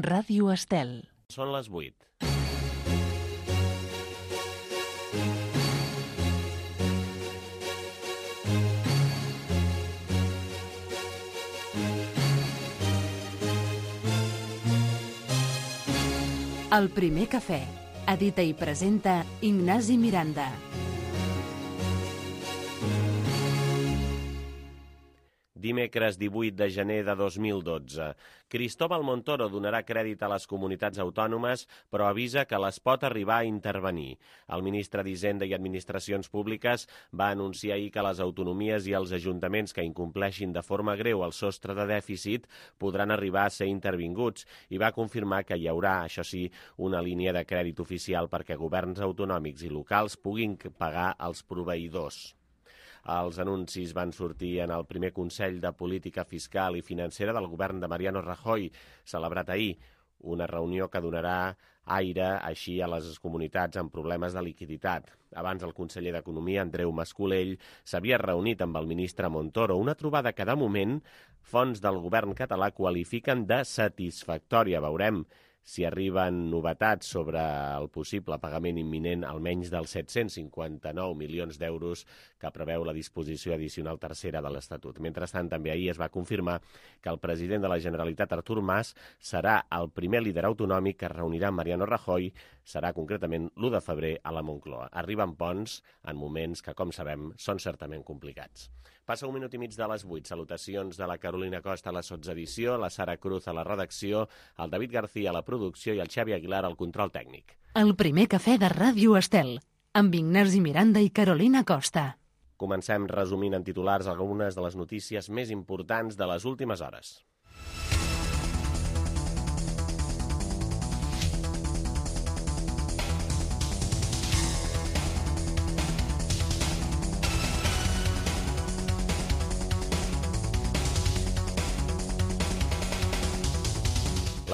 Ràdio Estel. Són les 8. El primer cafè. Edita i presenta Ignasi Miranda. Dimecres 18 de gener de 2012. Cristóbal Montoro donarà crèdit a les comunitats autònomes, però avisa que les pot arribar a intervenir. El ministre d'Hisenda i Administracions Públiques va anunciar ahir que les autonomies i els ajuntaments que incompleixin de forma greu el sostre de dèficit podran arribar a ser intervinguts i va confirmar que hi haurà, això sí, una línia de crèdit oficial perquè governs autonòmics i locals puguin pagar els proveïdors. Els anuncis van sortir en el primer Consell de Política Fiscal i Financera del govern de Mariano Rajoy, celebrat ahir, una reunió que donarà aire així a les comunitats amb problemes de liquiditat. Abans el conseller d'Economia, Andreu Mas-Colell, s'havia reunit amb el ministre Montoro, una trobada que de moment fonts del govern català qualifiquen de satisfactòria. Veurem si arriben novetats sobre el possible pagament imminent almenys dels 759 milions d'euros que preveu la disposició addicional tercera de l'Estatut. Mentrestant, també ahir es va confirmar que el president de la Generalitat, Artur Mas, serà el primer líder autonòmic que reunirà Mariano Rajoy, serà concretament l'1 de febrer a la Moncloa. Arriben ponts en moments que, com sabem, són certament complicats. Passa 1 minut i mig de les 8. Salutacions de la Carolina Costa a la sotsedició, la Sara Cruz a la redacció, el David García a la producció i el Xavi Aguilar al control tècnic. El primer cafè de Ràdio Estel, amb Ignasi Miranda i Carolina Costa. Comencem resumint en titulars algunes de les notícies més importants de les últimes hores.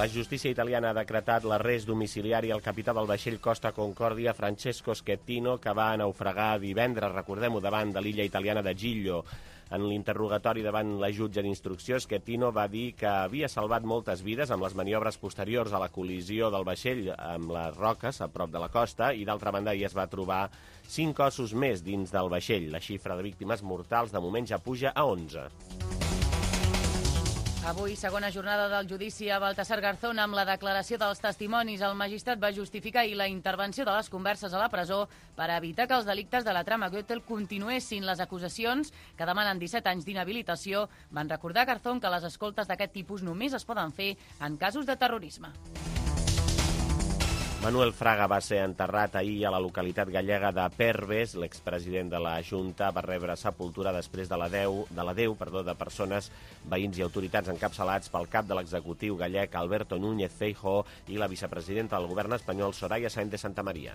La justícia italiana ha decretat l'arrest domiciliari al capità del vaixell Costa Concordia, Francesco Schettino, que va naufragar divendres, recordem-ho, davant de l'illa italiana de Giglio. En l'interrogatori davant la jutge d'instrucció, Schettino va dir que havia salvat moltes vides amb les maniobres posteriors a la col·lisió del vaixell amb les roques a prop de la costa i, d'altra banda, hi es va trobar 5 cossos més dins del vaixell. La xifra de víctimes mortals de moment ja puja a 11. Avui, segona jornada del judici a Baltasar Garzón amb la declaració dels testimonis. El magistrat va justificar ahir la intervenció de les converses a la presó per evitar que els delictes de la trama Gürtel continuessin. Les acusacions, que demanen 17 anys d'inhabilitació, van recordar a Garzón que les escoltes d'aquest tipus només es poden fer en casos de terrorisme. Manuel Fraga va ser enterrat ahir a la localitat gallega de Perves. L'expresident de la Junta va rebre sepultura després de de persones, veïns i autoritats encapçalats pel cap de l'executiu gallec Alberto Núñez Feijóo i la vicepresidenta del govern espanyol Soraya Sáenz de Santamaría.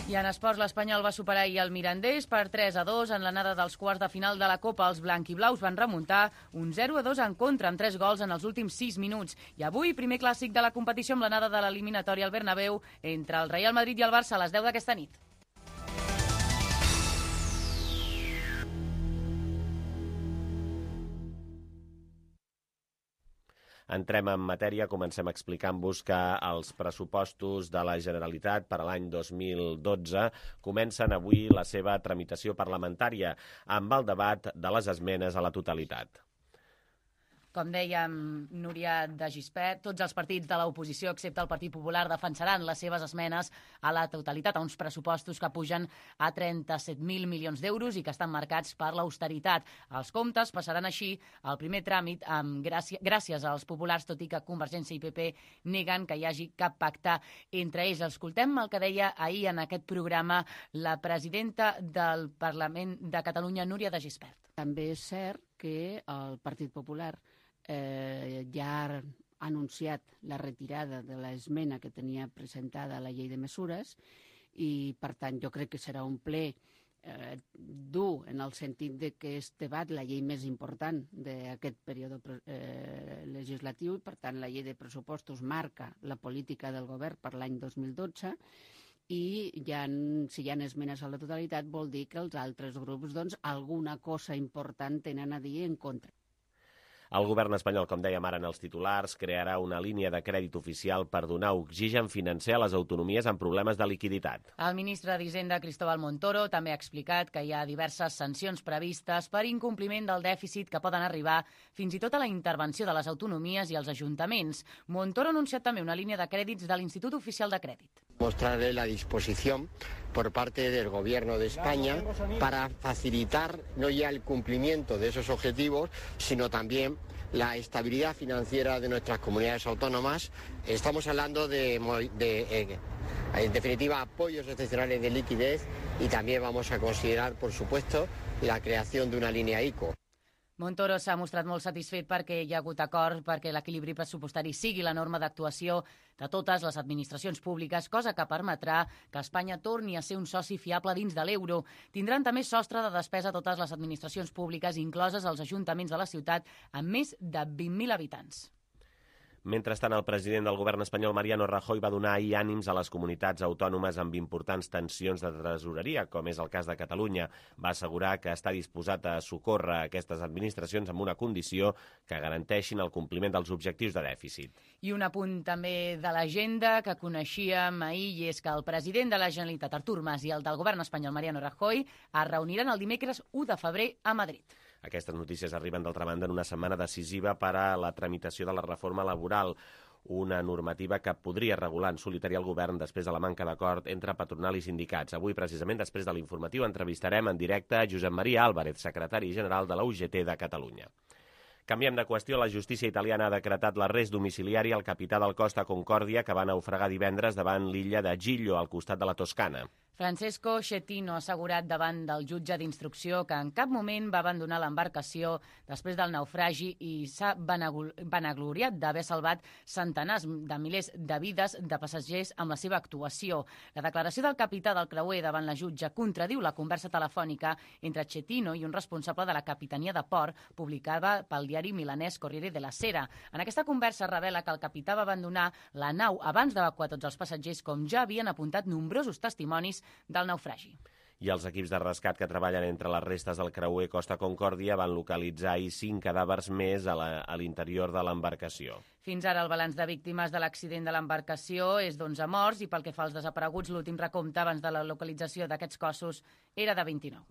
I en esports, l'Espanyol va superar ahir el Mirandés per 3-2 en l'anada dels quarts de final de la Copa. Els blanquiblaus van remuntar un 0-2 en contra, amb 3 gols en els últims 6 minuts. I avui, primer clàssic de la competició amb l'anada de l'eliminatòria al Bernabéu entre el Real Madrid i el Barça a les 10 d'aquesta nit. Entrem en matèria, comencem explicant-vos que els pressupostos de la Generalitat per a l'any 2012 comencen avui la seva tramitació parlamentària amb el debat de les esmenes a la totalitat. Com dèiem, Núria de Gispert, tots els partits de l'oposició, excepte el Partit Popular, defensaran les seves esmenes a la totalitat, a uns pressupostos que pugen a 37.000 milions d'euros i que estan marcats per l'austeritat. Els comptes passaran així al primer tràmit gràcies als populars, tot i que Convergència i PP neguen que hi hagi cap pacte entre ells. Escoltem el que deia ahir en aquest programa la presidenta del Parlament de Catalunya, Núria de Gispert. També és cert que el Partit Popular ja ha anunciat la retirada de l'esmena que tenia presentada a la llei de mesures i, per tant, jo crec que serà un ple dur en el sentit de que es debat la llei més important d'aquest període legislatiu i, per tant, la llei de pressupostos marca la política del govern per l'any 2012 i si hi ha esmenes a la totalitat vol dir que els altres grups alguna cosa important tenen a dir en contra. El govern espanyol, com dèiem ara en els titulars, crearà una línia de crèdit oficial per donar oxigen financer a les autonomies amb problemes de liquiditat. El ministre d'Hisenda, Cristóbal Montoro, també ha explicat que hi ha diverses sancions previstes per incompliment del dèficit que poden arribar fins i tot a la intervenció de les autonomies i els ajuntaments. Montoro ha anunciat també una línia de crèdits de l'Institut Oficial de Crèdit. Mostraré la disposición por parte del Gobierno de España para facilitar no ya el cumplimiento de esos objetivos, sino también la estabilidad financiera de nuestras comunidades autónomas. Estamos hablando en definitiva, apoyos excepcionales de liquidez y también vamos a considerar, por supuesto, la creación de una línea ICO. Montoro s'ha mostrat molt satisfet perquè hi ha hagut acord perquè l'equilibri pressupostari sigui la norma d'actuació de totes les administracions públiques, cosa que permetrà que Espanya torni a ser un soci fiable dins de l'euro. Tindran també sostre de despesa totes les administracions públiques, incloses els ajuntaments de la ciutat, amb més de 20.000 habitants. Mentrestant, el president del govern espanyol, Mariano Rajoy, va donar ahir ànims a les comunitats autònomes amb importants tensions de tresoreria, com és el cas de Catalunya. Va assegurar que està disposat a socórrer aquestes administracions amb una condició que garanteixin el compliment dels objectius de dèficit. I un apunt també de l'agenda que coneixíem ahir, i és que el president de la Generalitat, Artur Mas, i el del govern espanyol, Mariano Rajoy, es reuniran el dimecres 1 de febrer a Madrid. Aquestes notícies arriben, d'altra banda, en una setmana decisiva per a la tramitació de la reforma laboral, una normativa que podria regular en solitari el govern després de la manca d'acord entre patronal i sindicats. Avui, precisament, després de l'informatiu, entrevistarem en directe a Josep Maria Álvarez, secretari general de la UGT de Catalunya. Canviem de qüestió. La justícia italiana ha decretat l'arrest domiciliari al capità del Costa Concòrdia que va naufragar divendres davant l'illa de Giglio, al costat de la Toscana. Francesco Schettino ha assegurat davant del jutge d'instrucció que en cap moment va abandonar l'embarcació després del naufragi i s'ha vanagloriat d'haver salvat centenars de milers de vides de passatgers amb la seva actuació. La declaració del capità del creuer davant la jutge contradiu la conversa telefònica entre Schettino i un responsable de la Capitania de Port, publicada pel diari milanès Corriere della Sera. En aquesta conversa revela que el capità va abandonar la nau abans d'evacuar tots els passatgers, com ja havien apuntat nombrosos testimonis del naufragi. I els equips de rescat que treballen entre les restes del creuer Costa Concòrdia van localitzar ahir 5 cadàvers més a l'interior de l'embarcació. Fins ara el balanç de víctimes de l'accident de l'embarcació és d'11 morts i pel que fa als desapareguts, l'últim recompte abans de la localització d'aquests cossos era de 29.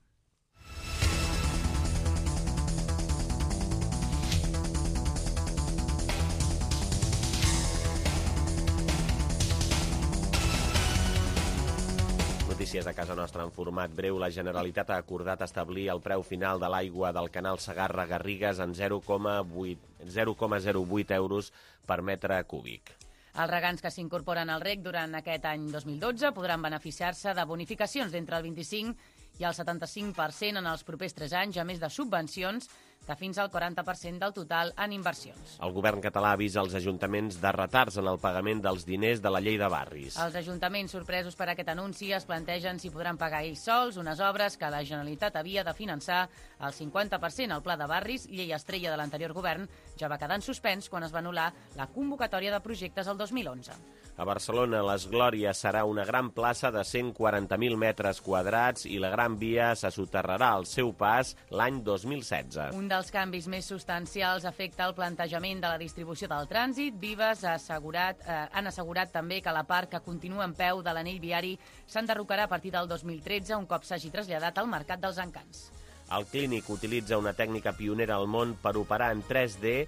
Notícies a casa nostra en format breu. La Generalitat ha acordat establir el preu final de l'aigua del canal Segarra-Garrigues en 0,08 euros per metre cúbic. Els regants que s'incorporen al REC durant aquest any 2012 podran beneficiar-se de bonificacions d'entre el 25 i el 75% en els propers 3 anys, a més de subvencions de fins al 40% del total en inversions. El govern català avisa els ajuntaments de retards en el pagament dels diners de la llei de barris. Els ajuntaments, sorpresos per aquest anunci, es plantegen si podran pagar ells sols unes obres que la Generalitat havia de finançar al 50%. El pla de barris, llei estrella de l'anterior govern, ja va quedar en suspens quan es va anul·lar la convocatòria de projectes el 2011. A Barcelona, les Glòries serà una gran plaça de 140.000 metres quadrats i la Gran Via se soterrarà al seu pas l'any 2016. Un dels canvis més substancials afecta el plantejament de la distribució del trànsit. Vives han assegurat també que la part que continua en peu de l'anell viari s'enderrocarà a partir del 2013, un cop s'hagi traslladat al mercat dels encants. El Clínic utilitza una tècnica pionera al món per operar en 3D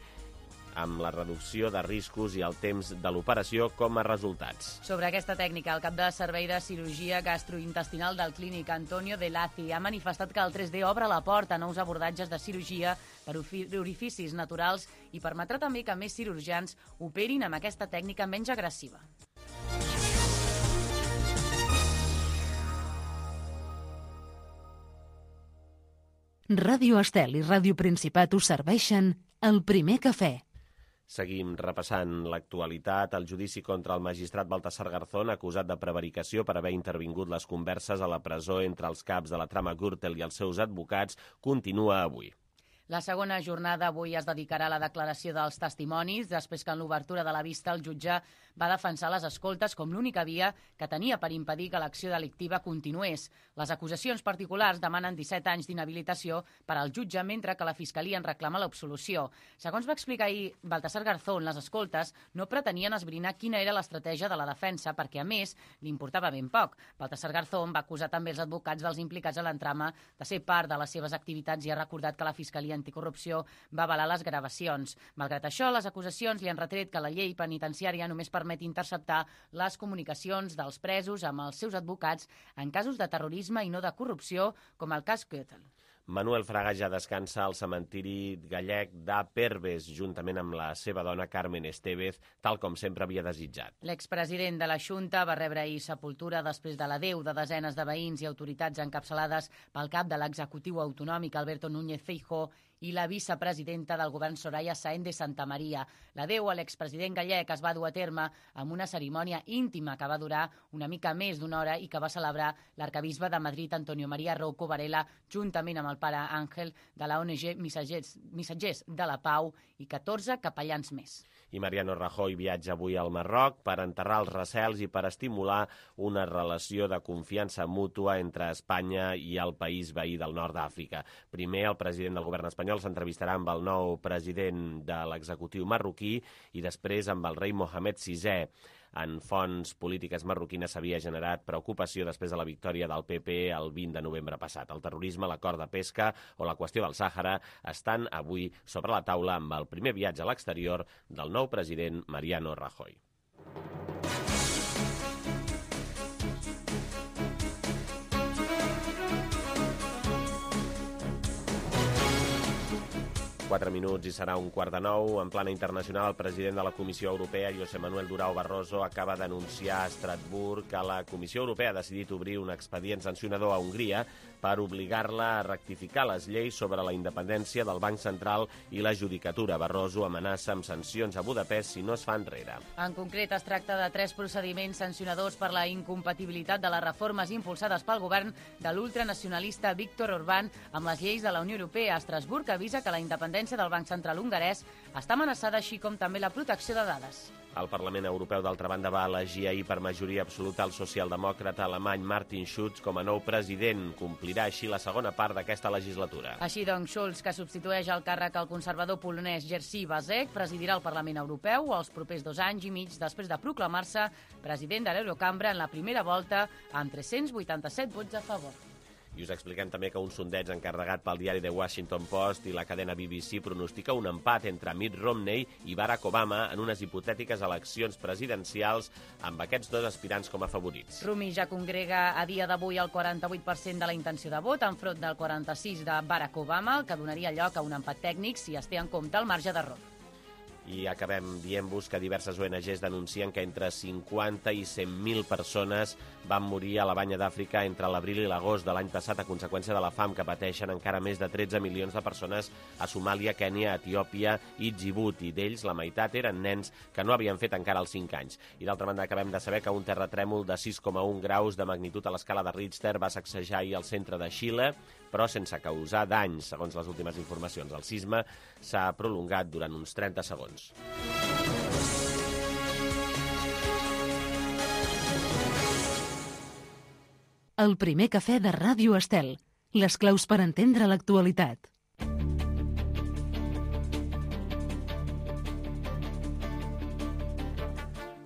amb la reducció de riscos i el temps de l'operació com a resultats. Sobre aquesta tècnica, el cap de servei de cirurgia gastrointestinal del Clínic, Antonio De Lazi, ha manifestat que el 3D obre la porta a nous abordatges de cirurgia per orificis naturals i permetrà també que més cirurgians operin amb aquesta tècnica menys agressiva. Ràdio Estel i Ràdio Principat us serveixen el primer cafè. Seguim repassant l'actualitat. El judici contra el magistrat Baltasar Garzón, acusat de prevaricació per haver intervingut les converses a la presó entre els caps de la trama Gürtel i els seus advocats, continua avui. La segona jornada avui es dedicarà a la declaració dels testimonis, després que en l'obertura de la vista el jutge va defensar les escoltes com l'única via que tenia per impedir que l'acció delictiva continués. Les acusacions particulars demanen 17 anys d'inhabilitació per al jutge, mentre que la Fiscalia en reclama l'absolució. Segons va explicar ahir Baltasar Garzón, les escoltes no pretenien esbrinar quina era l'estratègia de la defensa, perquè, a més, li importava ben poc. Baltasar Garzón va acusar també els advocats dels implicats a l'entrama de ser part de les seves activitats i ha recordat que la Fiscalia Anticorrupció va avalar les gravacions. Malgrat això, les acusacions li han retret que la llei penitenciària només permet interceptar les comunicacions dels presos amb els seus advocats en casos de terrorisme i no de corrupció, com el cas Gürtel. Manuel Fraga ja descansa al cementiri gallec de Perves, juntament amb la seva dona Carmen Estevez, tal com sempre havia desitjat. L'expresident de la Xunta va rebre ahir sepultura després de l'adeu de desenes de veïns i autoritats encapçalades pel cap de l'executiu autonòmic Alberto Núñez Feijóo i la vicepresidenta del govern Soraya Sáenz de Santamaría. L'adeu a l'expresident gallec es va dur a terme amb una cerimònia íntima que va durar una mica més d'una hora i que va celebrar l'arcabisbe de Madrid, Antonio María Rouco Varela, juntament amb el pare Àngel de la ONG Missatgers de la Pau i 14 capellans més. I Mariano Rajoy viatja avui al Marroc per enterrar els recels i per estimular una relació de confiança mútua entre Espanya i el país veí del nord d'Àfrica. Primer, el president del govern espanyol s'entrevistarà amb el nou president de l'executiu marroquí i després amb el rei Mohamed VI. En fonts polítiques marroquines s'havia generat preocupació després de la victòria del PP el 20 de novembre passat. El terrorisme, l'acord de pesca o la qüestió del Sàhara estan avui sobre la taula amb el primer viatge a l'exterior del nou president Mariano Rajoy. Quatre minuts i serà 8:45. En plana internacional, el president de la Comissió Europea, José Manuel Durão Barroso, acaba d'anunciar a Estrasburg que la Comissió Europea ha decidit obrir un expedient sancionador a Hongria per obligar-la a rectificar les lleis sobre la independència del Banc Central i la judicatura. Barroso amenaça amb sancions a Budapest si no es fa enrere. En concret, es tracta de 3 procediments sancionadors per la incompatibilitat de les reformes impulsades pel govern de l'ultranacionalista Viktor Orbán amb les lleis de la Unió Europea. Estrasburg avisa que la independència del Banc Central hongarès està amenaçada, així com també la protecció de dades. El Parlament Europeu, d'altra banda, va elegir ahir per majoria absoluta el socialdemòcrata alemany Martin Schulz com a nou president. Complirà així la segona part d'aquesta legislatura. Així doncs, Schulz, que substitueix el càrrec al conservador polonès Jerzy Buzek, presidirà el Parlament Europeu els propers 2 anys i mig després de proclamar-se president de l'Eurocambra en la primera volta amb 387 vots a favor. I us expliquem també que un sondeig encarregat pel diari The Washington Post i la cadena BBC pronostica un empat entre Mitt Romney i Barack Obama en unes hipotètiques eleccions presidencials amb aquests dos aspirants com a favorits. Romney ja congrega a dia d'avui el 48% de la intenció de vot enfront del 46% de Barack Obama, el que donaria lloc a un empat tècnic si es té en compte el marge d'error. I acabem dient-vos que diverses ONGs denuncien que entre 50 i 100.000 persones van morir a la Banya d'Àfrica entre l'abril i l'agost de l'any passat a conseqüència de la fam que pateixen encara més de 13 milions de persones a Somàlia, Kènia, Etiòpia i Djibouti. D'ells, la meitat eren nens que no havien fet encara els 5 anys. I d'altra banda, acabem de saber que un terratrèmol de 6,1 graus de magnitud a l'escala de Richter va sacsejar ahir al centre de Xile, però sense causar danys, segons les últimes informacions. El sisme s'ha prolongat durant uns 30 segons. El primer cafè de Ràdio Estel. Les claus per entendre l'actualitat.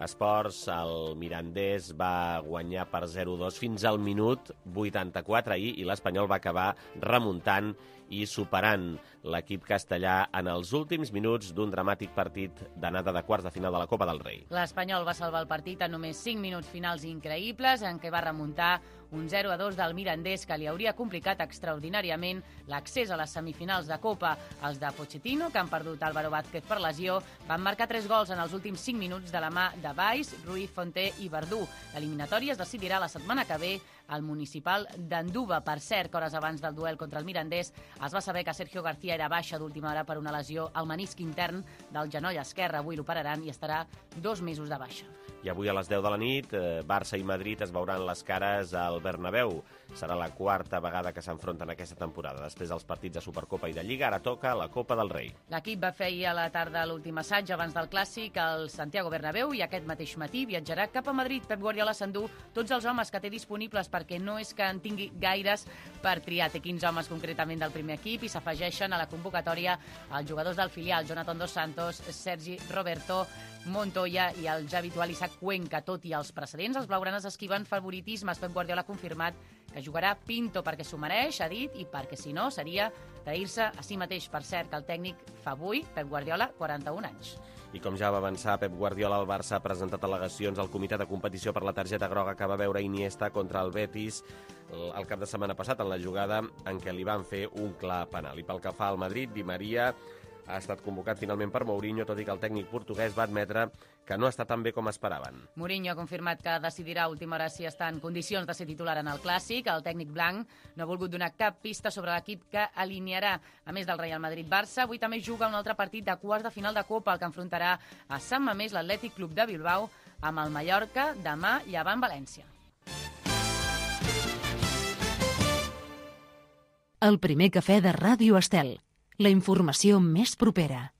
Esports, el Mirandés va guanyar per 0-2 fins al minut 84 ahir i l'Espanyol va acabar remuntant i superant l'equip castellà en els últims minuts d'un dramàtic partit d'anada de quarts de final de la Copa del Rei. L'Espanyol va salvar el partit en només 5 minuts finals increïbles en què va remuntar un 0-2 del Mirandés que li hauria complicat extraordinàriament l'accés a les semifinals de Copa. Els de Pochettino, que han perdut Álvaro Vázquez per lesió, van marcar 3 gols en els últims 5 minuts de la mà de Valls, Ruiz, Fonté i Verdú. L'eliminatòria es decidirà la setmana que ve al Municipal d'Anduva. Per cert, que hores abans del duel contra el Mirandés es va saber que Sergio García era baixa d'última hora per una lesió al menisc intern del genoll esquerre. Avui l'operaran i estarà 2 mesos de baixa. I avui a les 10 de la nit, Barça i Madrid es veuran les cares al Bernabéu. Serà la 4a vegada que s'enfronten aquesta temporada. Després dels partits de Supercopa i de Lliga, ara toca la Copa del Rei. L'equip va fer ahir a la tarda l'últim assaig abans del Clàssic al Santiago Bernabéu i aquest mateix matí viatjarà cap a Madrid. Pep Guardiola s'endú tots els homes que té disponibles perquè no és que en tingui gaires per triar. Té 15 homes concretament del primer equip i s'afegeixen a la convocatòria els jugadors del filial, Jonathan Dos Santos, Sergi Roberto, Montoya i el ja habitual Isaac Cuenca. Tot i els precedents, els blaugranes esquiven favoritismes. Pep Guardiola ha confirmat que jugarà Pinto perquè s'ho mereix, ha dit, i perquè si no seria trair-se a si mateix. Per cert, que el tècnic fa avui, Pep Guardiola, 41 anys. I com ja va avançar Pep Guardiola, el Barça ha presentat al·legacions al comitè de competició per la targeta groga que va veure Iniesta contra el Betis el cap de setmana passat, en la jugada en què li van fer un clar penal. I pel que fa al Madrid, Di Maria ha estat convocat finalment per Mourinho, tot i que el tècnic portuguès va admetre que no està tan bé com esperaven. Mourinho ha confirmat que decidirà a última hora si està en condicions de ser titular en el Clàssic. El tècnic blanc no ha volgut donar cap pista sobre l'equip que alinearà. A més del Real Madrid-Barça, avui també juga un altre partit de quarts de final de Copa, el que enfrontarà a Sant Mamés l'Atlètic Club de Bilbao amb el Mallorca, demà Llevant València. El primer cafè de Ràdio Estel. La informació més propera.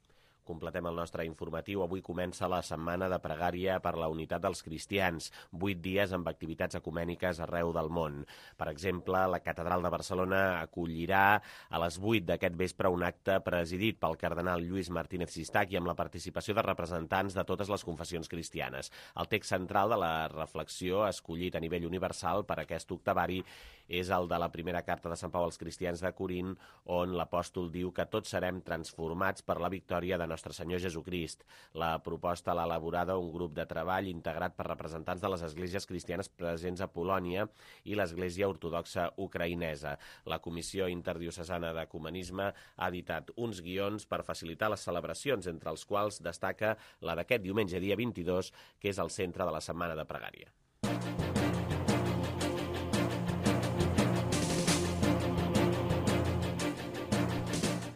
Completem el nostre informatiu. Avui comença la setmana de pregària per la unitat dels cristians. 8 dies amb activitats ecumèniques arreu del món. Per exemple, la Catedral de Barcelona acollirà a les 8 d'aquest vespre un acte presidit pel cardenal Lluís Martínez Sistac i amb la participació de representants de totes les confessions cristianes. El text central de la reflexió escollit a nivell universal per aquest octavari és el de la primera carta de Sant Pau als cristians de Corint, on l'apòstol diu que tots serem transformats per la victòria de Nostre Senyor Jesucrist. La proposta l'ha elaborada un grup de treball integrat per representants de les esglésies cristianes presents a Polònia i l'Església Ortodoxa Ucraïnesa. La Comissió Interdiocesana d'Ecumenisme ha editat uns guions per facilitar les celebracions, entre els quals destaca la d'aquest diumenge, dia 22, que és el centre de la Setmana de Pregària.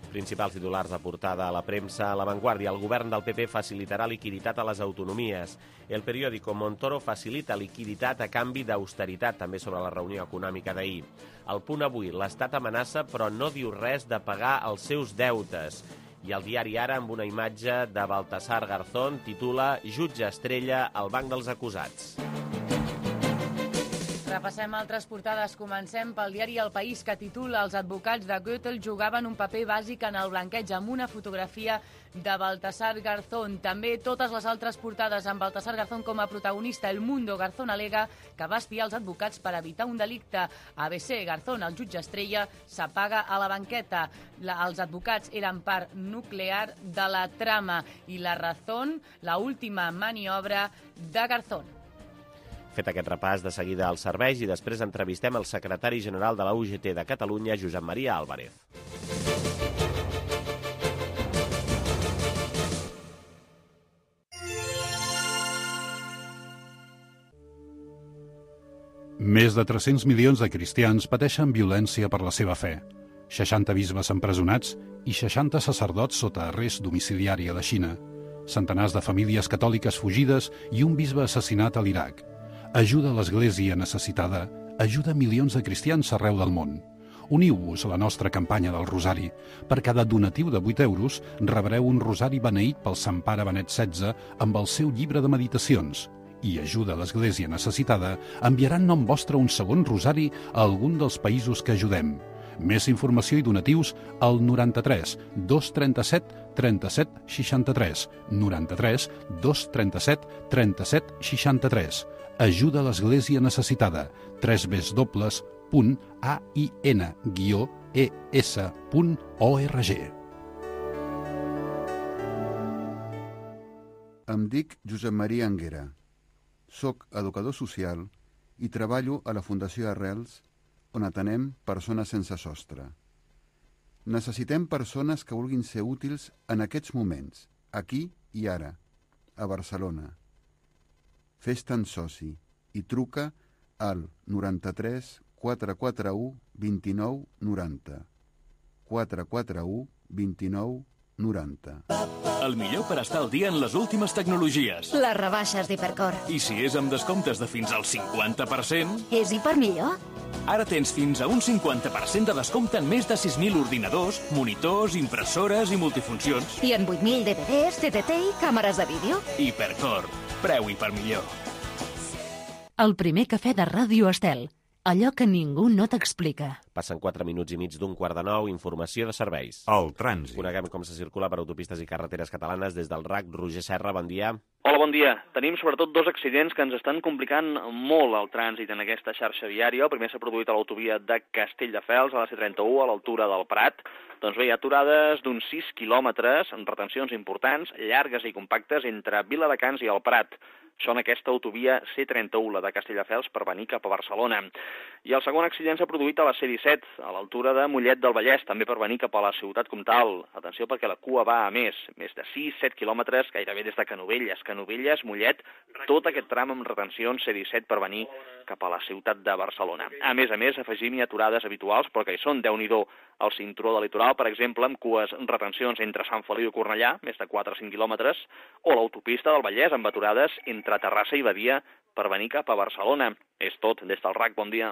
Principals titulars de portada a la premsa. A La Vanguardia, el govern del PP facilitarà liquiditat a les autonomies. El periòdico, Montoro facilita liquiditat a canvi d'austeritat, també sobre la reunió econòmica d'ahir. El Punt avui, l'Estat amenaça però no diu res de pagar els seus deutes. I el diari Ara, amb una imatge de Baltasar Garzón, titula Jutge estrella al banc dels acusats. Repassem altres portades. Comencem pel diari El País, que titula Els advocats de Gürtel jugaven un paper bàsic en el blanqueig, amb una fotografia de Baltasar Garzón. També totes les altres portades amb Baltasar Garzón com a protagonista. El Mundo, Garzón alega que va espiar els advocats per evitar un delicte. ABC, Garzón, el jutge estrella, s'apaga a la banqueta. Els advocats eren part nuclear de la trama. I La Razón, la última maniobra de Garzón. Fet aquest repàs, de seguida als serveis i després entrevistem el secretari general de la UGT de Catalunya, Josep Maria Álvarez. Més de 300 milions de cristians pateixen violència per la seva fe. 60 bisbes empresonats i 60 sacerdots sota arrest domiciliari a la Xina. Centenars de famílies catòliques fugides i un bisbe assassinat a l'Iraq. Ajuda a l'Església necessitada, ajuda milions de cristians arreu del món. Uniu-vos a la nostra campanya del Rosari. Per cada donatiu de 8 euros rebreu un rosari beneït pel Sant Pare Benet XVI amb el seu llibre de meditacions. I ajuda a l'Església necessitada enviarà en nom vostre un segon rosari a algun dels països que ajudem. Més informació i donatius al 93 237 37 63. 93 237 37 63. Ajuda a l'Església necessitada. www.ain-es.org. Em dic Josep Maria Anguera. Soc educador social i treballo a la Fundació Arrels, on atenem persones sense sostre. Necessitem persones que vulguin ser útils en aquests moments, aquí i ara, a Barcelona. Fes-te'n soci i truca al 93 441 29 90. 441 29 90. El millor per estar al dia en les últimes tecnologies. Les rebaixes d'Hipercor. I si és amb descomptes de fins al 50%... És Hipermillor? Ara tens fins a un 50% de descompte en més de 6.000 ordinadors, monitors, impressores i multifuncions. I en 8.000 DVDs, TTT i càmeres de vídeo. Hipercor. Preu Hipermillor. El primer cafè de Ràdio Estel. Allò que ningú no t'explica. Passen 4 minuts i mig d'un quart de 9, informació de serveis. El trànsit. Coneguem com se circula per autopistes i carreteres catalanes des del RAC. Roger Serra, bon dia. Hola, bon dia. Tenim sobretot 2 accidents que ens estan complicant molt el trànsit en aquesta xarxa viària. El primer s'ha produït a l'autovia de Castelldefels, a la C31, a l'altura del Prat. Doncs bé, hi ha aturades d'uns 6 quilòmetres, amb retencions importants, llargues i compactes, entre Viladecans i el Prat. Això en aquesta autovia C31, la de Castelldefels, per venir cap a Barcelona. I el segon accident s'ha produït a la C17, a l'altura de Mollet del Vallès, també per venir cap a la ciutat comtal. Atenció perquè la cua va a més de 6-7 quilòmetres, gairebé des de Canovelles. Canovelles, Mollet, tot aquest tram amb retencions C17 per venir cap a la ciutat de Barcelona. A més, afegim-hi aturades habituals, però que hi són, Déu-n'hi-do, al cinturó del litoral, per exemple, amb cues retencions entre Sant Feliu i Cornellà, més de 4 o 5 quilòmetres, o l'autopista del Vallès, amb aturades entre Terrassa i Badia per venir cap a Barcelona. És tot, des del RAC, bon dia.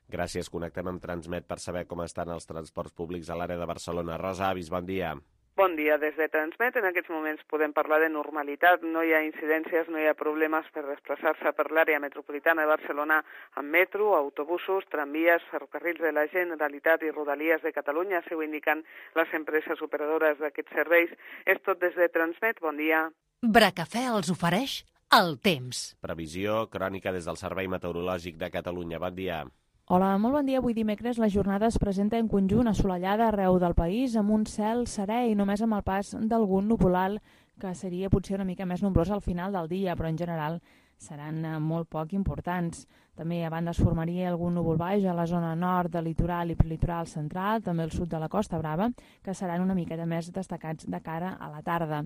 Gràcies, connectem amb Transmet per saber com estan els transports públics a l'àrea de Barcelona. Rosa Avis, bon dia. Bon dia, des de Transmet. En aquests moments podem parlar de normalitat. No hi ha incidències, no hi ha problemes per desplaçar-se per l'àrea metropolitana de Barcelona amb metro, autobusos, tramvies, ferrocarrils de la Generalitat i Rodalies de Catalunya, si ho indiquen les empreses operadores d'aquests serveis. És tot des de Transmet. Bon dia. Bracafè els ofereix el temps. Previsió crònica des del Servei Meteorològic de Catalunya. Bon dia. Hola, molt bon dia. Avui dimecres la jornada es presenta en conjunt assolellada arreu del país, amb un cel serè i només amb el pas d'algun nuvolal, que seria potser una mica més nombrós al final del dia, però en general seran molt poc importants. També a banda es formaria algun núvol baix a la zona nord del litoral i prelitoral central, també al sud de la Costa Brava, que seran una miqueta més destacats de cara a la tarda.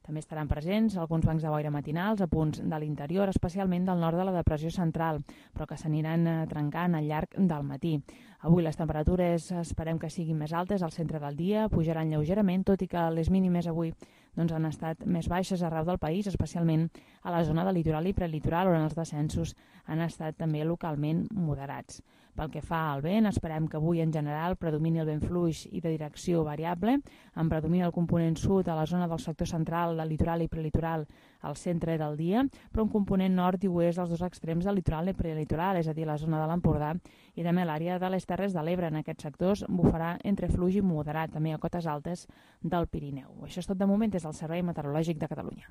També estaran presents alguns bancs de boira matinals a punts de l'interior, especialment del nord de la depressió central, però que s'aniran trencant al llarg del matí. Avui les temperatures esperem que siguin més altes al centre del dia, pujaran lleugerament, tot i que les mínimes avui han estat més baixes arreu del país, especialment a la zona del litoral i prelitoral, on els descensos han estat també localment moderats. Pel que fa al vent, esperem que avui en general predomini el vent fluix i de direcció variable, en predomini el component sud a la zona del sector central, del litoral i prelitoral al centre del dia, però un component nord i oest als 2 extrems del litoral i prelitoral, és a dir, la zona de l'Empordà i també l'àrea de les Terres de l'Ebre. En aquests sectors bufarà entre fluix i moderat, també a cotes altes del Pirineu. Això és tot de moment des del Servei Meteorològic de Catalunya.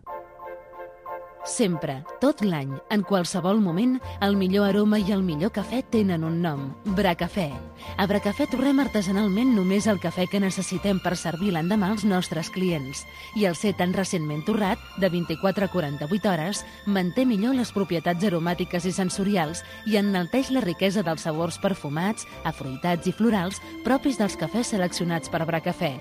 Sempre, tot l'any, en qualsevol moment, el millor aroma i el millor cafè tenen un nom, Bracafè. A Bracafè torrem artesanalment només el cafè que necessitem per servir l'endemà als nostres clients. I el ser tan recentment torrat, de 24 a 48 hores, manté millor les propietats aromàtiques i sensorials i enalteix la riquesa dels sabors perfumats, afruitats i florals propis dels cafès seleccionats per Bracafè.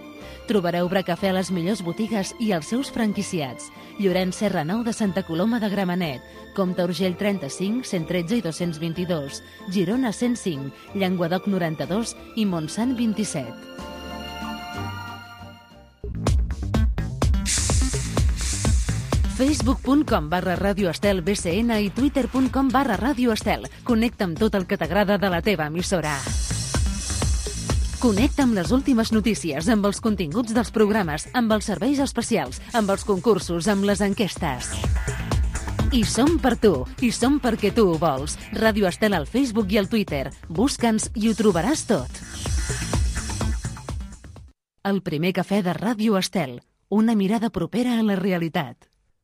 Trobareu Bracafè a les millors botigues i als seus franquiciats. Llorenç Serra 9 de Santa Coloma de Gramenet, Comte Urgell 35, 113 i 222, Girona 105, Llenguadoc 92 i Montsant 27. Facebook.com/Ràdio Estel BCN i Twitter.com/Ràdio Estel. Connecta amb tot el que t'agrada de la teva emissora. Connecta amb les últimes notícies, amb els continguts dels programes, amb els serveis especials, amb els concursos, amb les enquestes. I som per tu, i som perquè tu ho vols. Ràdio Estel al Facebook i al Twitter. Busca'ns i ho trobaràs tot. El primer cafè de Ràdio Estel. Una mirada propera a la realitat.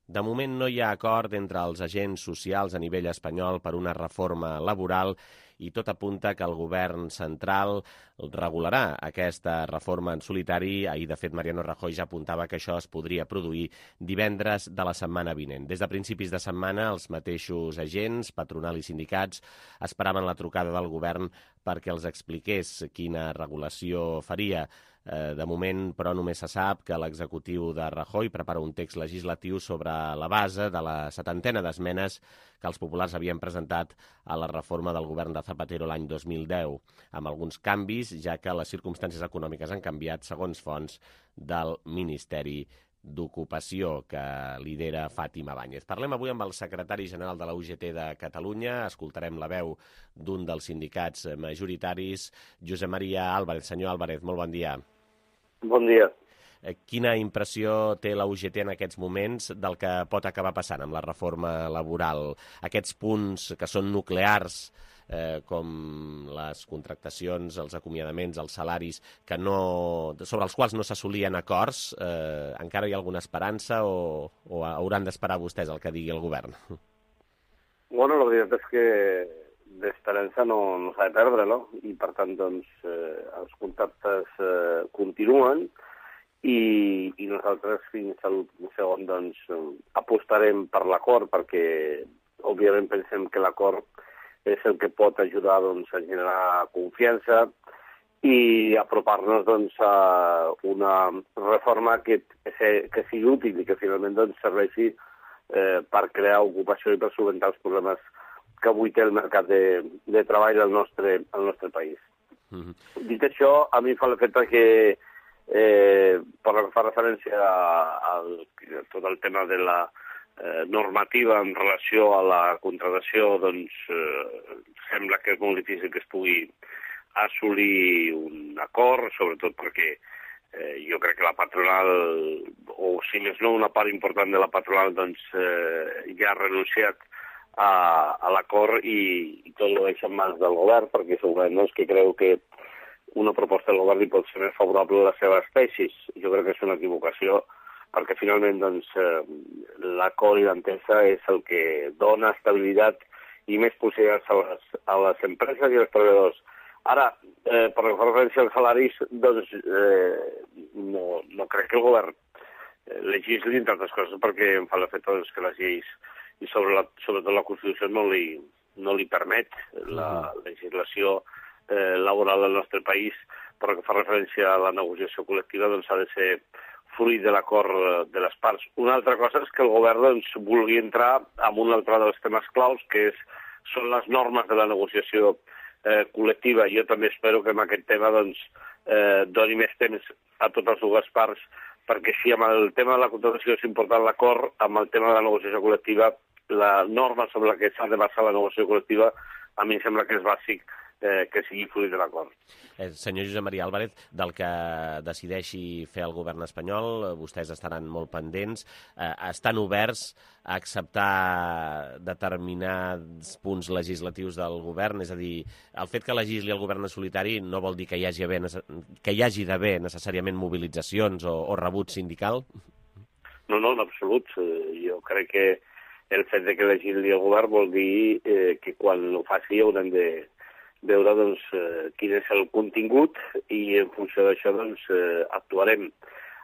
De moment no hi ha acord entre els agents socials a nivell espanyol per una reforma laboral i tot apunta que el govern central regularà aquesta reforma en solitari. Ahir, de fet, Mariano Rajoy ja apuntava que això es podria produir divendres de la setmana vinent. Des de principis de setmana, els mateixos agents, patronal i sindicats, esperaven la trucada del govern perquè els expliqués quina regulació faria. De moment, però, només se sap que l'executiu de Rajoy prepara un text legislatiu sobre la base de la 70ena d'esmenes que els populars havien presentat a la reforma del govern de Zapatero l'any 2010, amb alguns canvis, ja que les circumstàncies econòmiques han canviat, segons fonts del Ministeri d'Ocupació, que lidera Fàtima Báñez. Parlem avui amb el secretari general de la UGT de Catalunya. Escoltarem la veu d'un dels sindicats majoritaris, Josep Maria Álvarez. Senyor Álvarez, molt bon dia. Bon dia. Quina impressió té la UGT en aquests moments del que pot acabar passant amb la reforma laboral? Aquests punts que són nuclears, com les contractacions, els acomiadaments, els salaris, sobre els quals no s'assolien acords, encara hi ha alguna esperança o hauran d'esperar vostès el que digui el govern? Bueno, la veritat és que d'esperança no s'ha de perdre, no? I per tant, doncs, els contactes continuen i nosaltres fins al segon, doncs, apostarem per l'acord perquè, òbviament, pensem que l'acord és el que pot ajudar, doncs, a generar confiança i apropar-nos, doncs, a una reforma que sigui útil i que finalment, doncs, serveixi per crear ocupació i per solventar els problemes que avui té el mercat de treball al nostre país. Dit això, a mi fa l'efecte que, per la que fa referència a tot el tema de la normativa en relació a la contractació, doncs sembla que és molt difícil que es pugui assolir un acord, sobretot perquè jo crec que la patronal, o si més no una part important de la patronal, doncs ja ha renunciat a l'acord i tot ho deixa en mans del govern, perquè segurament no és que creu que una proposta del govern li pot ser més favorable a les seves tesis. Jo crec que és una equivocació, perquè finalment doncs, l'acord i l'entesa és el que dona estabilitat i més possibilitats a les empreses i als treballadors. Ara, per referència als salaris, doncs no crec que el govern legisli, entre altres coses, perquè em fa l'efecte que les lleis i sobretot la Constitució no li permet la legislació laboral del nostre país, però que fa referència a la negociació col·lectiva doncs ha de ser fruit de l'acord de les parts. Una altra cosa és que el govern doncs, vulgui entrar en un altre dels temes claus, que són les normes de la negociació col·lectiva. Jo també espero que en aquest tema doncs, doni més temps a totes dues parts, perquè si amb el tema de la contractació és important l'acord, amb el tema de la negociació col·lectiva, la norma sobre la que s'ha de basar la negociació col·lectiva, a mi em sembla que és bàsic que sigui fruit de l'acord. Senyor Josep Maria Álvarez, del que decideixi fer el govern espanyol, vostès estaran molt pendents. Estan oberts a acceptar determinats punts legislatius del govern? És a dir, el fet que legisli el govern en solitari no vol dir que hi hagi d'haver necessàriament mobilitzacions o rebuig sindical? No, en absolut. Jo crec que el fet que legisli el govern vol dir que quan ho faci haurem de veure doncs, quin és el contingut i en funció d'això doncs, actuarem.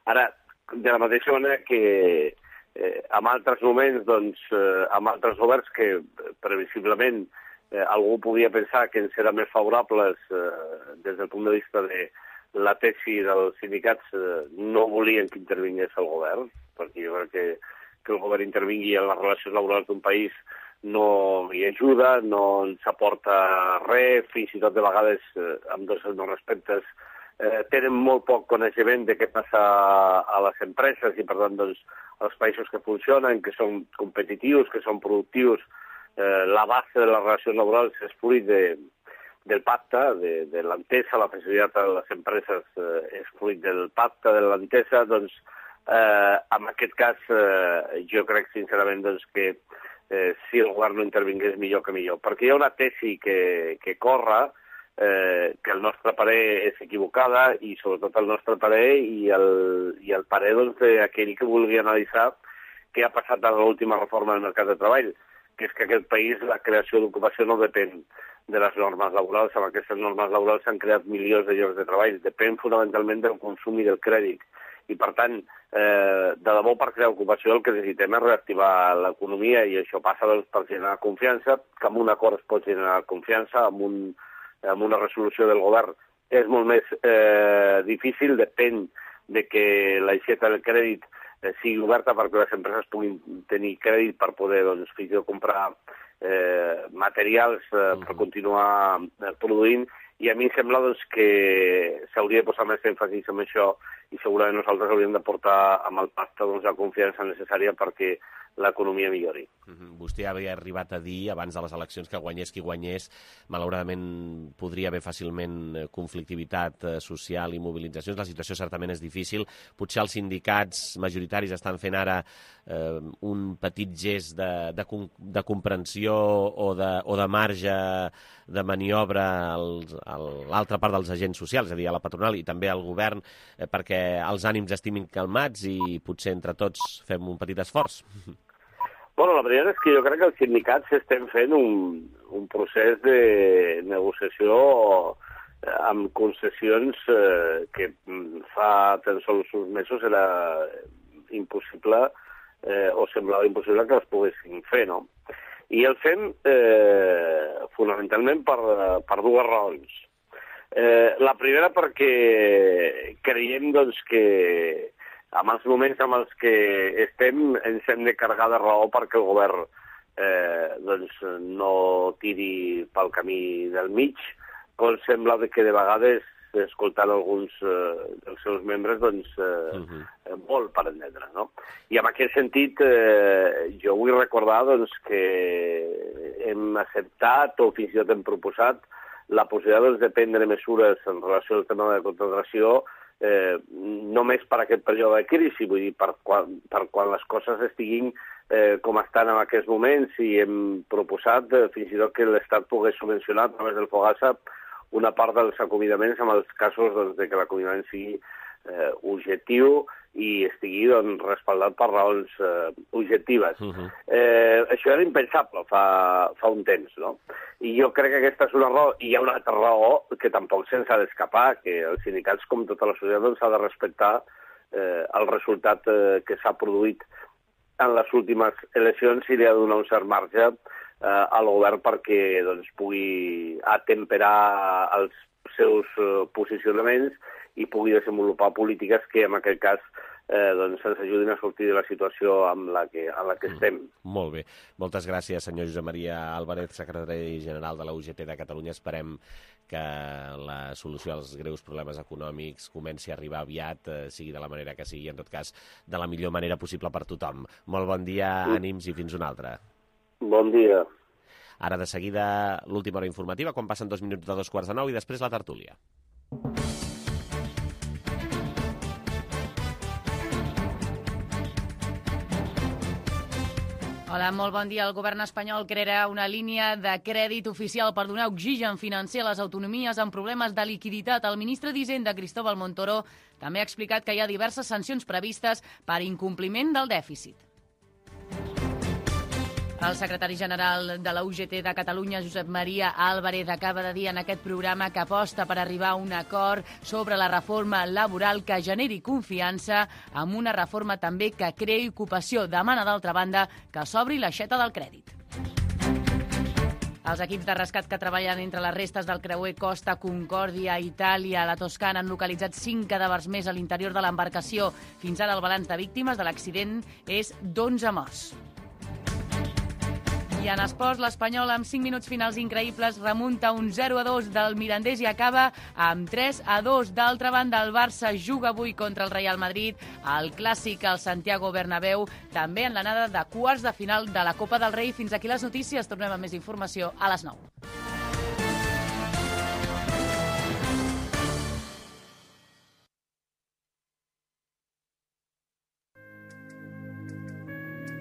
Ara, de la mateixa manera que en altres moments, doncs, amb altres governs que previsiblement algú podia pensar que ens eren més favorables des del punt de vista de la tesi dels sindicats, no volien que intervingués el govern, perquè jo crec que el govern intervingui en les relacions laborals d'un país no hi ajuda, no ens aporta res, fins i tot de vegades, amb tots els meus respectes, tenen molt poc coneixement de què passa a les empreses i, per tant, doncs, els països que funcionen, que són competitius, que són productius, la base de les relacions laborals és fruit del pacte, de l'entesa, la facilitat a les empreses és fruit del pacte, de l'entesa, doncs, en aquest cas, jo crec sincerament doncs, que si el govern no intervingués millor que millor. Perquè hi ha una tesi que corre, que el nostre parer és equivocada i sobretot el nostre parer i el parer d'aquell que vulgui analitzar què ha passat en l'última reforma del mercat de treball, que és que aquest país la creació d'ocupació no depèn de les normes laborals. Amb aquestes normes laborals s'han creat milions de llocs de treball. Depèn fonamentalment del consum i del crèdit. I, per tant, de debò per crear ocupació el que necessitem és reactivar l'economia i això passa doncs, per generar confiança, que amb un acord es pot generar confiança, amb una resolució del govern és molt més difícil, depèn de que l'aixeta del crèdit sigui oberta perquè les empreses puguin tenir crèdit per poder, doncs, fins i tot comprar materials per continuar produint, i a mi em sembla doncs, que s'hauria de posar més èmfasis en això i segurament nosaltres hauríem de portar amb el pacte doncs, la confiança necessària perquè l'economia millori. Vostè havia arribat a dir abans de les eleccions que guanyés qui guanyés, malauradament podria haver fàcilment conflictivitat social i mobilitzacions. La situació certament és difícil. Potser els sindicats majoritaris estan fent ara un petit gest de comprensió o de marge de maniobra a l'altra part dels agents socials, és a dir, a la patronal i també al govern, perquè els ànims estiguin calmats i potser entre tots fem un petit esforç. Bueno, la veritat és que jo crec que els sindicats estem fent un procés de negociació amb concessions que fa tan sols uns mesos era impossible o semblava impossible que les poguessin fer, no? I el fem fonamentalment per dues raons. La primera perquè creiem doncs, que en els moments en els que estem ens hem de carregar de raó perquè el govern doncs, no tiri pel camí del mig, com sembla que de vegades, escoltant alguns dels seus membres, doncs, molt per entendre, no? I en aquest sentit, jo vull recordar doncs, que hem acceptat o fins i tot hem proposat la possibilitat doncs, de prendre mesures en relació al tema de la contractació només per aquest període de crisi, vull dir, per quan les coses estiguin com estan en aquests moments, i hem proposat fins i tot que l'Estat pogués subvencionar a través del FOGASA una part dels acomiadaments en els casos doncs, de que l'acomiadament sigui objectiu i estigui doncs, respaldat per raons objectives. Això era impensable fa un temps, no? I jo crec que aquesta és una raó, i hi ha una altra raó que tampoc se'ns ha d'escapar, que els sindicats, com tota la societat, doncs, ha de respectar el resultat que s'ha produït en les últimes eleccions i li ha de donar un cert marge al govern perquè doncs, pugui atemperar els seus posicionaments i pugui desenvolupar polítiques que en aquest cas doncs, ens ajudin a sortir de la situació en la que estem. Molt bé. Moltes gràcies, senyor Josep Maria Álvarez, secretari general de la UGT de Catalunya. Esperem que la solució als greus problemes econòmics comenci a arribar aviat, sigui de la manera que sigui, en tot cas, de la millor manera possible per tothom. Molt bon dia, ànims i fins una altra. Bon dia. Ara, de seguida, l'última hora informativa, quan passen 2 minuts de 2:45 i després la tertúlia. Hola, molt bon dia. El govern espanyol crearà una línia de crèdit oficial per donar oxigen financer a les autonomies amb problemes de liquiditat. El ministre d'Hisenda, Cristóbal Montoro, també ha explicat que hi ha diverses sancions previstes per incompliment del dèficit. El secretari general de la UGT de Catalunya, Josep Maria Álvarez, acaba de dir en aquest programa que aposta per arribar a un acord sobre la reforma laboral que generi confiança, amb una reforma també que creï ocupació. Demana, d'altra banda, que s'obri l'aixeta del crèdit. Els equips de rescat que treballen entre les restes del creuer Costa Concòrdia a Itàlia, a la Toscana, han localitzat 5 cadàvers més a l'interior de l'embarcació. Fins ara el balanç de víctimes de l'accident és d'11 morts. I en esports, l'Espanyol, amb 5 minuts finals increïbles, remunta un 0-2 del Mirandés i acaba amb 3-2. D'altra banda, el Barça juga avui contra el Real Madrid, el clàssic al Santiago Bernabéu, també en l'anada de quarts de final de la Copa del Rei. Fins aquí les notícies. Tornem amb més informació a les 9.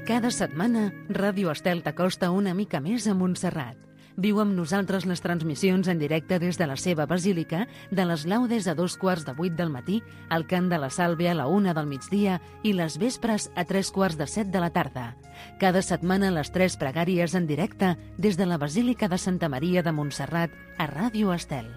Cada setmana, Ràdio Estel t'acosta una mica més a Montserrat. Viu amb nosaltres les transmissions en directe des de la seva basílica, de les laudes a 7:15 del matí, el cant de la Sàlvia a la 1 del migdia i les vespres a 6:45 de la tarda. Cada setmana les 3 pregàries en directe des de la Basílica de Santa Maria de Montserrat a Ràdio Estel.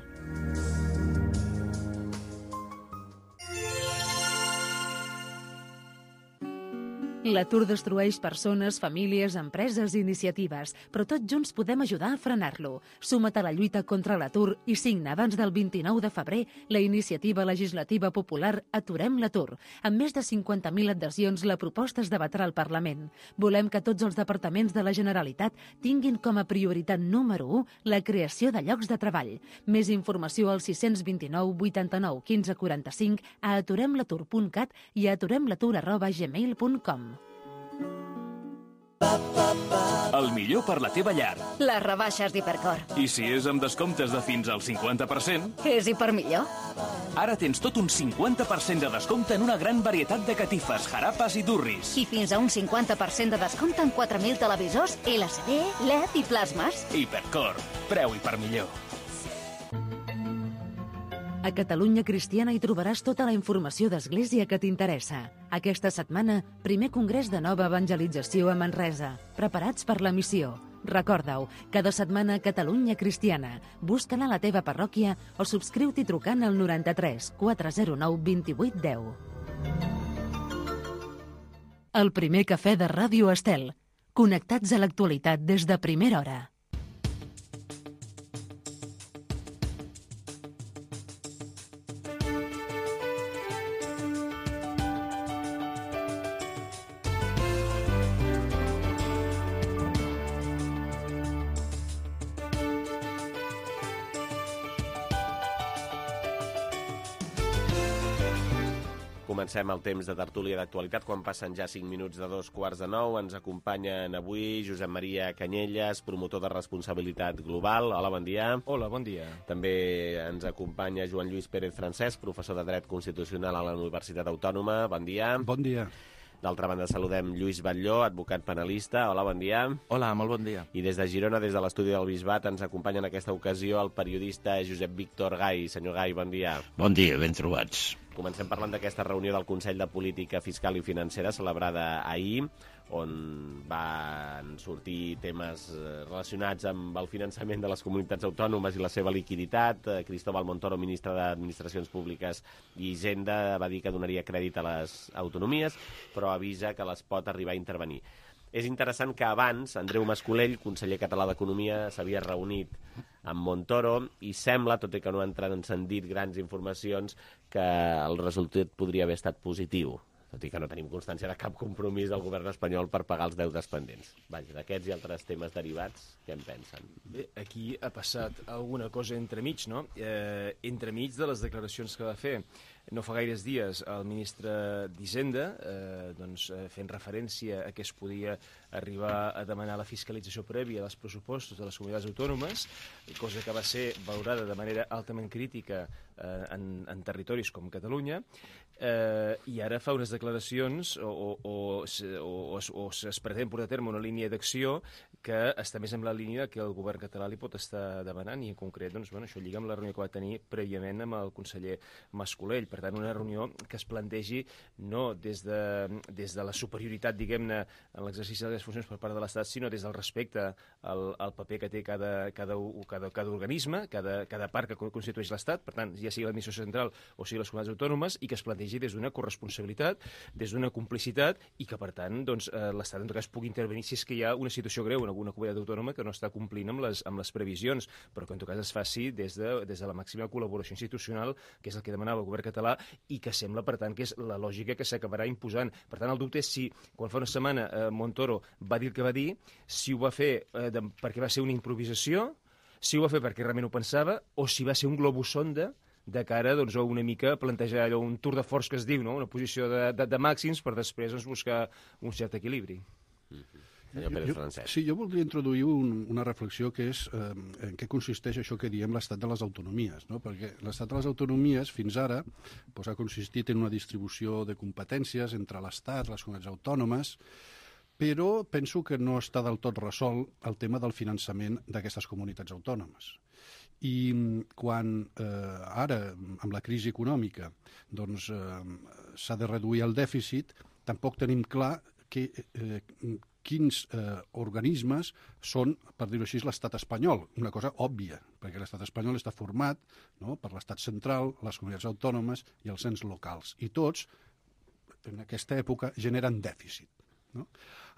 L'atur destrueix persones, famílies, empreses i iniciatives, però tots junts podem ajudar a frenar-lo. Suma't a la lluita contra l'atur i signa abans del 29 de febrer la iniciativa legislativa popular Aturem l'atur. Amb més de 50.000 adhesions, la proposta es debatrà al Parlament. Volem que tots els departaments de la Generalitat tinguin com a prioritat número 1 la creació de llocs de treball. Més informació al 629 89 15 45, a aturemlatur.cat i a aturemlatur@gmail.com. El millor per la teva llar. Les rebaixes d'Hipercor. I si és amb descomptes de fins al 50%? És Hipermillor. Ara tens tot un 50% de descompte en una gran varietat de catifes, jarapes i durris. I fins a un 50% de descompte en 4.000 televisors, LCD, LED i plasmes. Hipercor. Preu Hipermillor. A Catalunya Cristiana hi trobaràs tota la informació d'Església que t'interessa. Aquesta setmana, primer congrés de nova evangelització a Manresa. Preparats per la missió. Recorda-ho, cada setmana a Catalunya Cristiana. Busca-la a la teva parròquia o subscriu-t'hi trucant al 93 409 28 10. El primer cafè de Ràdio Estel. Connectats a l'actualitat des de primera hora. Comencem el temps de tertúlia d'actualitat quan passen ja 5 minuts de 2:45. Ens acompanyen avui Josep Maria Canyelles, promotor de responsabilitat global. Hola, bon dia. Hola, bon dia. També ens acompanya Joan Lluís Pérez Francesc, professor de Dret Constitucional a la Universitat Autònoma. Bon dia. Bon dia. D'altra banda, saludem Lluís Batlló, advocat penalista. Hola, bon dia. Hola, molt bon dia. I des de Girona, des de l'estudi del Bisbat, ens acompanya en aquesta ocasió el periodista Josep Víctor Gai. Senyor Gai, bon dia. Bon dia, ben trobats. Comencem parlant d'aquesta reunió del Consell de Política Fiscal i Financera celebrada ahir, on van sortir temes relacionats amb el finançament de les comunitats autònomes i la seva liquiditat. Cristóbal Montoro, ministre d'Administracions Públiques i Hisenda, va dir que donaria crèdit a les autonomies, però avisa que les pot arribar a intervenir. És interessant que abans Andreu Mascolell, conseller català d'Economia, s'havia reunit amb Montoro i sembla, tot i que no han transcendit grans informacions, que el resultat podria haver estat positiu, tot i que no tenim constància de cap compromís del govern espanyol per pagar els deutes pendents. Vaja, d'aquests i altres temes derivats, què en pensen? Bé, aquí ha passat alguna cosa entremig, no? Entremig de les declaracions que va fer no fa gaires dies el ministre d'Hisenda, fent referència a que es podia arribar a demanar la fiscalització prèvia dels pressupostos de les comunitats autònomes, cosa que va ser valorada de manera altament crítica en territoris com Catalunya, i ara fa unes declaracions o es pretén portar a terme una línia d'acció que està més en la línia que el govern català li pot estar demanant, i en concret això lliga amb la reunió que va tenir prèviament amb el conseller Mascolell. Per tant, una reunió que es plantegi no des de la superioritat, diguem-ne, en l'exercici de les funcions per part de l'Estat, sinó des del respecte al paper que té cada organisme, cada part que constitueix l'Estat, per tant, ja sigui l'administració central o sigui les comunitats autònomes, i que es plantegi des d'una corresponsabilitat, des d'una complicitat, i que, per tant, l'Estat en tot cas pugui intervenir si és que hi ha una situació greu en alguna comunitat autònoma que no està complint amb les previsions, però que en tot cas es faci des de la màxima col·laboració institucional, que és el que demanava el govern català, i que sembla, per tant, que és la lògica que s'acabarà imposant. Per tant, el dubte és si, quan fa una setmana Montoro va dir el que va dir, si ho va fer perquè va ser una improvisació, si ho va fer perquè realment ho pensava, o si va ser un globus sonda de cara a una mica plantejar allò, un tour de force que es diu, no? Una posició de màxims per després buscar un cert equilibri. Jo voldria introduir una reflexió que és en què consisteix això que diem l'estat de les autonomies, no? Perquè l'estat de les autonomies fins ara ha consistit en una distribució de competències entre l'Estat, les comunitats autònomes, però penso que no està del tot resolt el tema del finançament d'aquestes comunitats autònomes. I quan ara, amb la crisi econòmica, s'ha de reduir el dèficit, tampoc tenim clar quins organismes són, per dir-ho així, l'estat espanyol. Una cosa òbvia, perquè l'estat espanyol està format per l'estat central, les comunitats autònomes i els ens locals. I tots, en aquesta època, generen dèficit. no?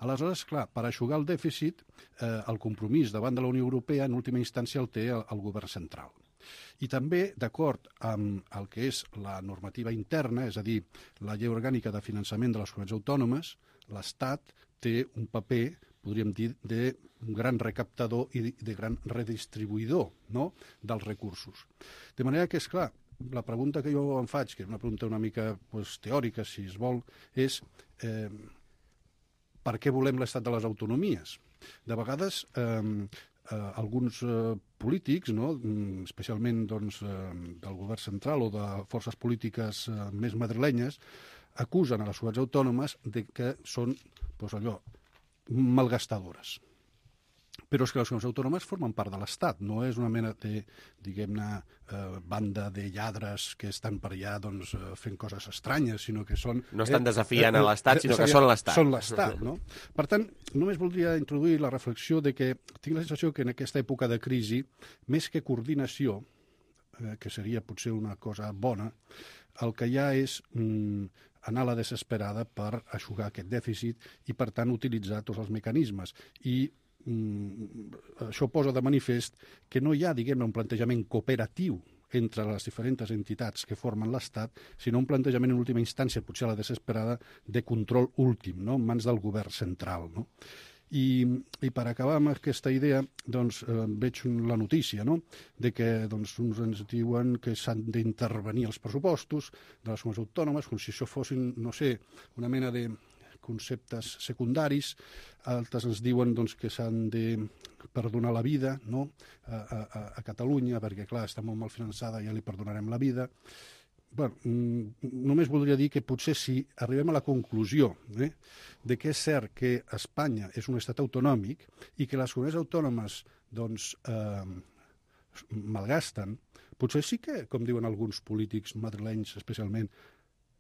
Aleshores, clar, per eixugar el dèficit, el compromís davant de la Unió Europea en última instància el té el govern central. I també, d'acord amb el que és la normativa interna, és a dir, la llei orgànica de finançament de les comunitats autònomes, l'Estat té un paper, podríem dir, de gran recaptador i de gran redistribuïdor, no?, dels recursos. De manera que, és clar, la pregunta que jo em faig, que és una pregunta una mica teòrica, si es vol, és per què volem l'estat de les autonomies? De vegades, alguns polítics, no?, especialment del govern central o de forces polítiques més madrilenyes, acusen a les comunitats autònomes de que són malgastadores. Però és que les comunitats autònomes formen part de l'Estat, no és una mena de, diguem-ne, banda de lladres que estan per allà fent coses estranyes, sinó que són... No estan desafiant a l'Estat, sinó que són l'Estat. Són l'Estat, no? Per tant, només voldria introduir la reflexió de que tinc la sensació que en aquesta època de crisi, més que coordinació, que seria potser una cosa bona, el que hi ha és anar a la desesperada per eixugar aquest dèficit i, per tant, utilitzar tots els mecanismes. I això posa de manifest que no hi ha, diguem-ne, un plantejament cooperatiu entre les diferents entitats que formen l'Estat, sinó un plantejament en última instància, potser a la desesperada, de control últim, no?, en mans del govern central, no? I per acabar amb aquesta idea, veig la notícia, no?, de que uns ens diuen que s'han d'intervenir els pressupostos de les comunitats autònomes, com si això fossin, no sé, una mena de conceptes secundaris. Altres ens diuen que s'han de perdonar la vida, no?, a Catalunya, perquè, clar, està molt mal finançada, ja li perdonarem la vida. Bé, només voldria dir que potser si arribem a la conclusió de que és cert que Espanya és un estat autonòmic i que les comunitats autònomes malgasten, potser sí que, com diuen alguns polítics madrilenys especialment,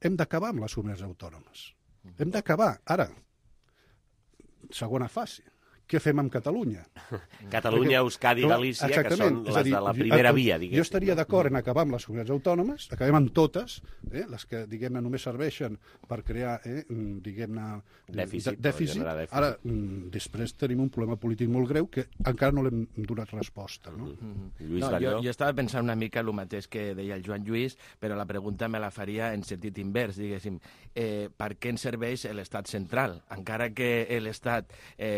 hem d'acabar amb les comunitats autònomes. Hem d'acabar. Ara, segona fase. Què fem amb Catalunya? Catalunya, Euskadi i Galícia, que són les de la primera via, diguéssim. Jo estaria d'acord en acabar amb les comunitats autònomes, acabem amb totes, les que, diguem-ne, només serveixen per crear, diguem-ne, dèficit. Ara, després tenim un problema polític molt greu que encara no l'hem donat resposta. Jo estava pensant una mica el mateix que deia el Joan Lluís, però la pregunta me la faria en sentit invers, diguéssim. Per què ens serveix l'estat central? Encara que l'estat,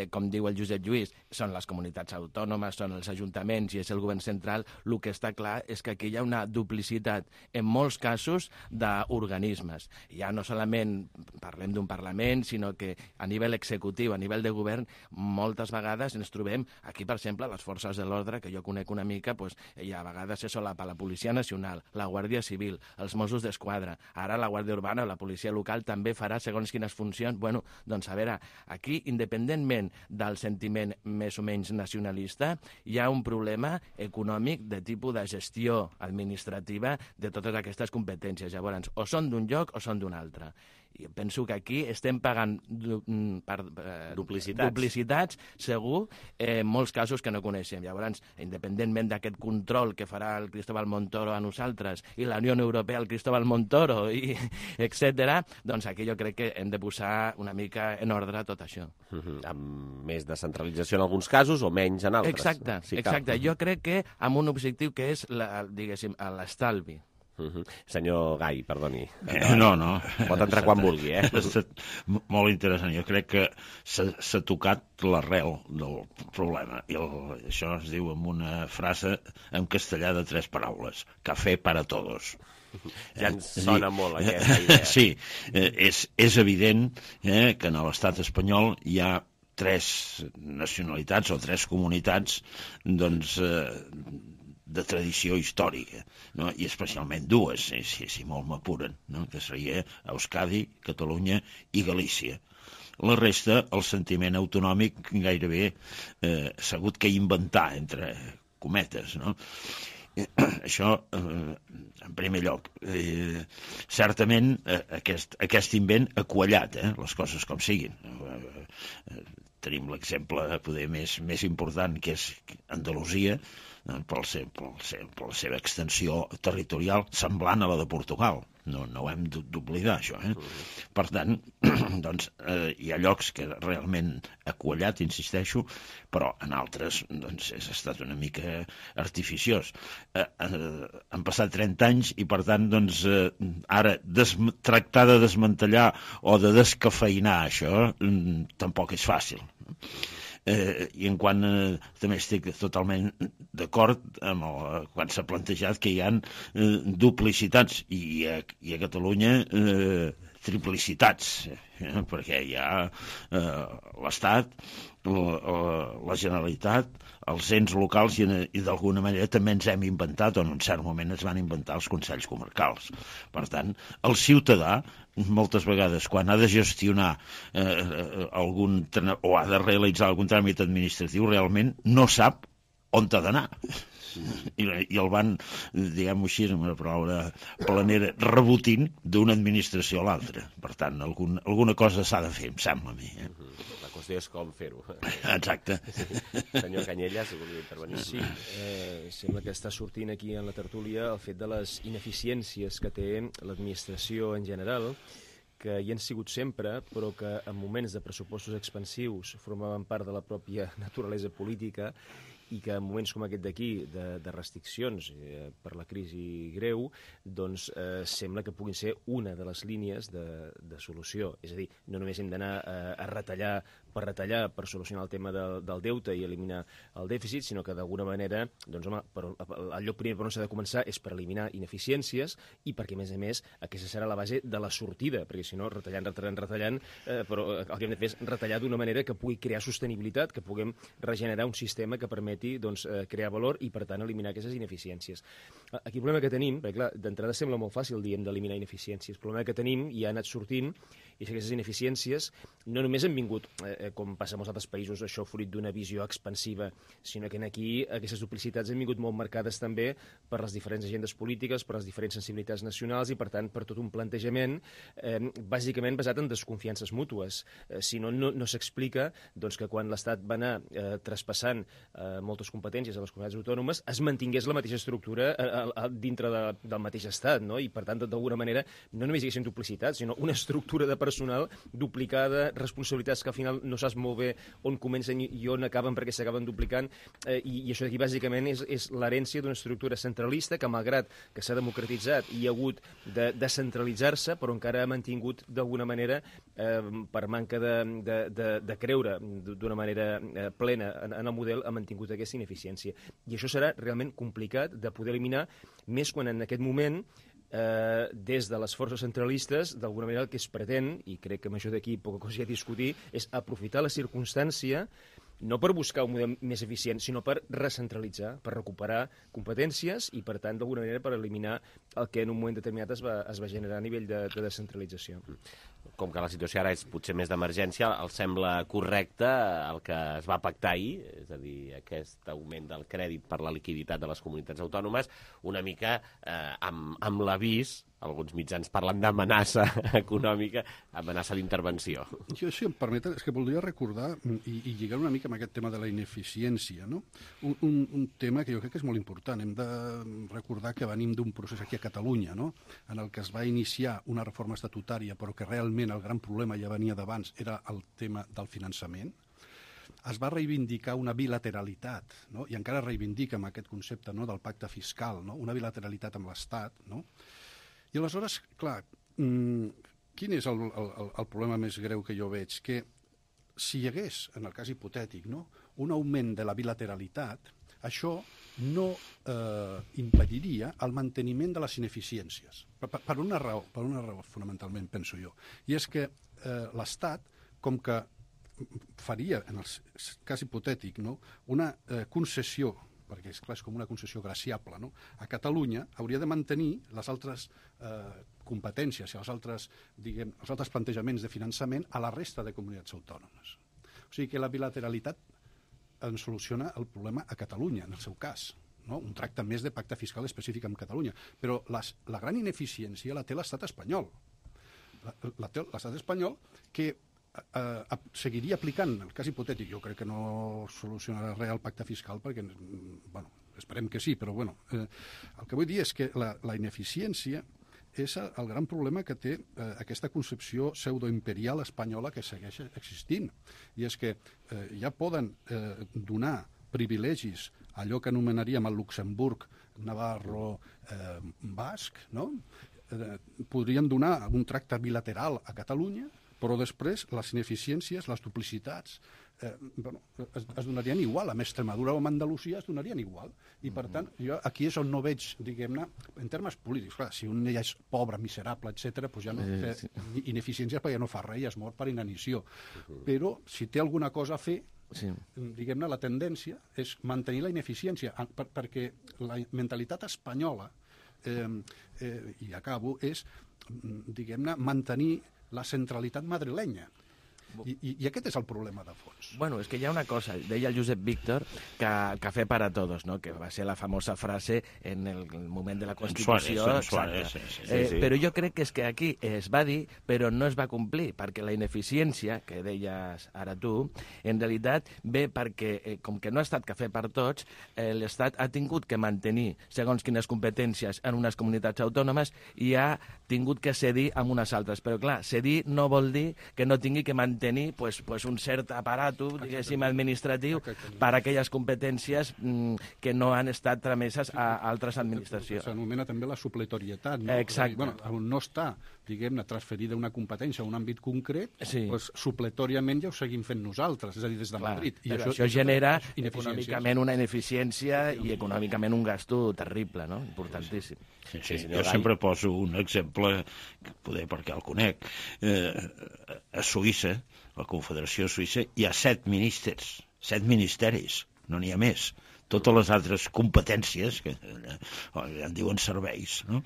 com diu el Josep Lluís, són les comunitats autònomes, són els ajuntaments i és el govern central, el que està clar és que aquí hi ha una duplicitat, en molts casos, d'organismes. Ja no solament parlem d'un Parlament, sinó que a nivell executiu, a nivell de govern, moltes vegades ens trobem, aquí, per exemple, les forces de l'ordre, que jo conec una mica, i a vegades se solapa la Policia Nacional, la Guàrdia Civil, els Mossos d'Esquadra, ara la Guàrdia Urbana, la policia local, també farà segons quines funcions. Bueno, doncs a veure, aquí, independentment del sentiment més o menys nacionalista, hi ha un problema econòmic de tipus de gestió administrativa de totes aquestes competències. Llavors, o són d'un lloc o són d'un altre. I penso que aquí estem pagant duplicitats, segur, en molts casos que no coneixem. Llavors, independentment d'aquest control que farà el Cristóbal Montoro a nosaltres i la Unió Europea al Cristóbal Montoro, etc., doncs aquí jo crec que hem de posar una mica en ordre tot això. Amb més descentralització en alguns casos o menys en altres. Exacte. Jo crec que amb un objectiu que és, diguéssim, l'estalvi. Senyor Gai, perdoni. No. Pot entrar quan vulgui, Ha estat molt interessant. Jo crec que s'ha tocat l'arrel del problema. I això es diu amb una frase en castellà de 3 paraules. Café para todos. Ja ens sona molt aquesta idea. Sí, és evident que en l'estat espanyol hi ha 3 nacionalitats o 3 comunitats, doncs, de tradició històrica, no? I especialment 2, si molt m'apuren, no? Que seria Euskadi, Catalunya i Galícia. La resta, el sentiment autonòmic gairebé s'ha hagut que inventar, entre cometes, no? Això, en primer lloc, certament aquest invent ha quallat les coses com siguin. Tenim l'exemple poder més important, que és Andalusia, per la seva extensió territorial semblant a la de Portugal. No ho hem d'oblidar, això. Per tant, doncs, hi ha llocs que realment ha quallat, insisteixo, però en altres doncs, ha estat una mica artificiós. Han passat 30 anys i, per tant, doncs, ara tractar de desmantellar o de descafeïnar això tampoc és fàcil. I en quant també estic totalment d'acord amb quan s'ha plantejat que hi ha duplicitats i a Catalunya triplicitats, perquè hi ha l'Estat, la Generalitat, els ens locals i d'alguna manera també ens hem inventat, o en un cert moment es van inventar els consells comarcals. Per tant, el ciutadà moltes vegades quan ha de gestionar o ha de realitzar algun tràmit administratiu realment no sap on ha d'anar. I el van, diguem-ho així, amb una paraula planera, rebotint d'una administració a l'altra. Per tant, alguna cosa s'ha de fer, em sembla a mi. La qüestió és com fer-ho. Exacte. Senyor Canyelles, si volia intervenir. Sí, sembla que està sortint aquí en la tertúlia el fet de les ineficiències que té l'administració en general, que hi han sigut sempre, però que en moments de pressupostos expansius formaven part de la pròpia naturalesa política i que en moments com aquest d'aquí, de restriccions per la crisi greu, doncs sembla que puguin ser una de les línies de solució. És a dir, no només hem d'anar a retallar per solucionar el tema del deute i eliminar el dèficit, sinó que d'alguna manera, doncs, home, el lloc primer per on s'ha de començar és per eliminar ineficiències i perquè, a més, aquesta serà la base de la sortida, perquè si no, retallant, però el que hem de fer és retallar d'una manera que pugui crear sostenibilitat, que puguem regenerar un sistema que permeti crear valor i, per tant, eliminar aquestes ineficiències. Aquí el problema que tenim, perquè clar, d'entrada sembla molt fàcil, diem, d'eliminar ineficiències. El problema que tenim i ha anat sortint és que aquestes ineficiències no només han vingut, com passa en molts altres països, això fruit d'una visió expansiva, sinó que aquí aquestes duplicitats han vingut molt marcades també per les diferents agendes polítiques, per les diferents sensibilitats nacionals i, per tant, per tot un plantejament bàsicament basat en desconfiances mútues. Si no, no s'explica que quan l'Estat va anar traspassant moltes competències a les comunitats autònomes es mantingués la mateixa estructura dintre del mateix Estat, no? I, per tant, d'alguna manera, no només hi haguessin duplicitats, sinó una estructura de personal duplicada, responsabilitats que al final no saps molt bé on comencen i on acaben perquè s'acaben duplicant, i això d'aquí bàsicament és l'herència d'una estructura centralista que, malgrat que s'ha democratitzat i ha hagut de descentralitzar-se, però encara ha mantingut d'alguna manera, per manca de creure d'una manera plena en el model, ha mantingut aquesta ineficiència. I això serà realment complicat de poder eliminar, més quan en aquest moment des de les forces centralistes, d'alguna manera el que es pretén, i crec que amb això d'aquí poca cosa hi ha a discutir, és aprofitar la circumstància no per buscar un model més eficient, sinó per recentralitzar, per recuperar competències i, per tant, d'alguna manera per eliminar el que en un moment determinat es va generar a nivell de descentralització. Com que la situació ara és potser més d'emergència, els sembla correcte el que es va pactar ahir, és a dir, aquest augment del crèdit per la liquiditat de les comunitats autònomes, una mica amb l'avís, alguns mitjans parlen d'amenaça econòmica, amenaça d'intervenció. Jo, si em permeten, és que voldria recordar i lligar una mica amb aquest tema de la ineficiència, no? Un tema que jo crec que és molt important. Hem de recordar que venim d'un procés aquí a Catalunya, no?, en el que es va iniciar una reforma estatutària, però que realment el gran problema ja venia d'abans, era el tema del finançament. Es va reivindicar una bilateralitat, no?, i encara reivindica amb aquest concepte, no?, del pacte fiscal, no?, una bilateralitat amb l'Estat, no? I aleshores, clar, quin és el problema més greu que jo veig? Que si hi hagués, en el cas hipotètic, no?, un augment de la bilateralitat, això no impediria el manteniment de les ineficiències. Per una raó fonamentalment, penso jo. I és que l'Estat, com que faria, en el cas hipotètic, no?, una concessió, perquè és clar, és com una concessió graciable, no?, a Catalunya hauria de mantenir les altres competències i els altres plantejaments de finançament a la resta de comunitats autònomes. O sigui que la bilateralitat en soluciona el problema a Catalunya, en el seu cas, no?, un tracte més de pacte fiscal específic amb Catalunya. Però la gran ineficiència la té l'estat espanyol. La té l'estat espanyol, que seguiria aplicant, el cas hipotètic, jo crec que no solucionarà res el pacte fiscal, perquè, bueno, esperem que sí, però bueno, el que vull dir és que la ineficiència és el gran problema que té aquesta concepció pseudoimperial espanyola que segueix existint. I és que ja poden donar privilegis a allò que anomenaríem el Luxemburg navarro basc, no? Podrien donar un tracte bilateral a Catalunya, però després les ineficiències, les duplicitats, es donarien igual. A Extremadura o a Andalusia es donarien igual. I, per tant, jo aquí és on no veig, diguem-ne, en termes polítics. Clar, si un ja és pobre, miserable, etc., doncs ja no té ineficiències perquè no fa res i es mor per inanició. Però si té alguna cosa a fer, diguem-ne, la tendència és mantenir la ineficiència, perquè la mentalitat espanyola, i acabo, és, diguem-ne, mantenir la centralitat madrilenya. I aquest és el problema de fons. Bueno, és que hi ha una cosa, deia el Josep Víctor, que café para todos, ¿no? Que va ser la famosa frase en el moment de la Constitució. Suárez. Però jo crec que és que aquí es va dir, però no es va complir, perquè la ineficiència, que deies ara tu, en realitat ve perquè, com que no ha estat cafè per tots, l'Estat ha tingut que mantenir segons quines competències en unes comunitats autònomes i ha tingut que cedir amb unes altres. Però clar, cedir no vol dir que no tingui que mantenir un cert aparato, diguéssim, administratiu per a aquelles competències que no han estat trameses a altres administracions. S'anomena també la supletorietat, no? Exacte. Bueno, on no està, diguem-ne, transferida una competència a un àmbit concret, doncs supletòriament ja ho seguim fent nosaltres, és a dir, des de Madrid. I això genera econòmicament una ineficiència i econòmicament un gasto terrible, no? Importantíssim. Sí, jo sempre poso un exemple, poder perquè el conec. A Suïssa, la Confederació Suïssa, hi ha 7 ministeris, no n'hi ha més. Totes les altres competències, que en diuen serveis, no?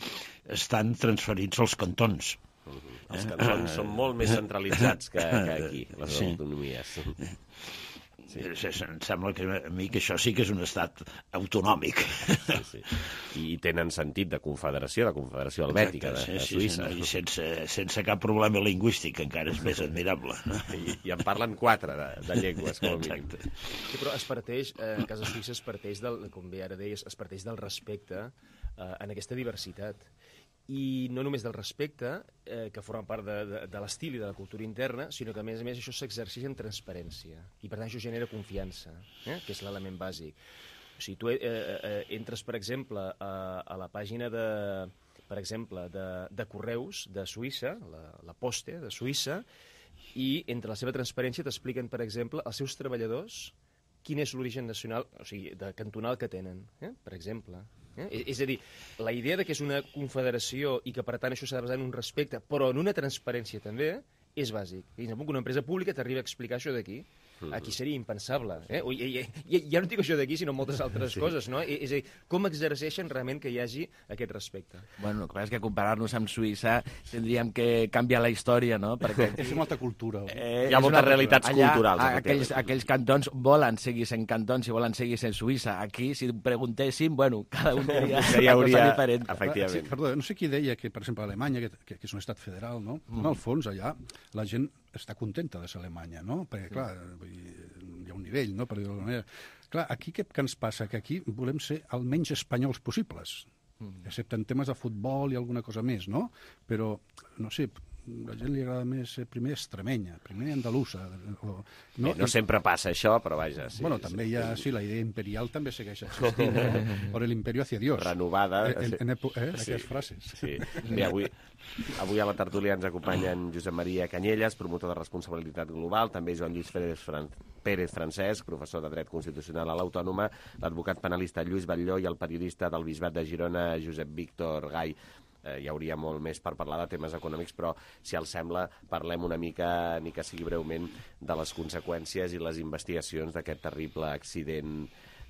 Estan transferits als cantons. Els cantons són molt més centralitzats que aquí, les autonomies. Em sembla que a mi que això sí que és un estat autonòmic. I tenen sentit de confederació helvètica de Suïssa. I sense cap problema lingüístic, encara és més admirable. I en parlen 4 de llengües, com a mínim. Però es parteix, en casa suïssa es parteix com bé ara deies, es parteix del respecte en aquesta diversitat. I no només del respecte, que forma part de l'estil i de la cultura interna, sinó que, a més això s'exerceix en transparència. I, per tant, això genera confiança, que és l'element bàsic. O sigui, tu entres, per exemple, a la pàgina de correus de Suïssa, la Poste de Suïssa, i entre la seva transparència t'expliquen, per exemple, els seus treballadors quin és l'origen nacional, o sigui, cantonal que tenen, per exemple. És a dir, la idea de que és una confederació i que per tant això s'ha de basar en un respecte, però en una transparència també, és bàsic. I que una empresa pública t'arriba a explicar això d'aquí. Aquí seria impensable. Ja no dic això d'aquí, sinó moltes altres coses, no? És a dir, com exerceixen realment que hi hagi aquest respecte? Bueno, el que passa és que comparar-nos amb Suïssa tindríem que canviar la història, no? Perquè és una altra cultura. Hi ha moltes realitats culturals. Aquells cantons volen seguir sent cantons i volen seguir sent Suïssa. Aquí, si preguntéssim, bueno, cada un diria una cosa diferent. Efectivament. Perdó, no sé qui deia que, per exemple, Alemanya, que és un estat federal, no? En el fons, allà, la gent està contenta de ser Alemanya, no? Perquè, clar, hi ha un nivell, no?, per dir-ho d'alguna manera. Clar, aquí què ens passa? Que aquí volem ser el menys espanyols possibles, excepte en temes de futbol i alguna cosa més, no? Però, no sé, a la gent li agrada més ser primer extremenya, primer andalusa. No sempre passa això, però vaja. Bueno, també hi ha, la idea imperial també segueix existint, por el imperio hacia Dios. Renovada. Aquestes frases. Bé, avui a la tertúlia ens acompanyen Josep Maria Canyelles, promotor de responsabilitat global, també Joan Lluís Pérez Francesc, professor de dret constitucional a l'Autònoma, l'advocat penalista Lluís Batlló i el periodista del Bisbat de Girona, Josep Víctor Gai. Hi hauria molt més per parlar de temes econòmics, però, si els sembla, parlem una mica, ni que sigui breument, de les conseqüències i les investigacions d'aquest terrible accident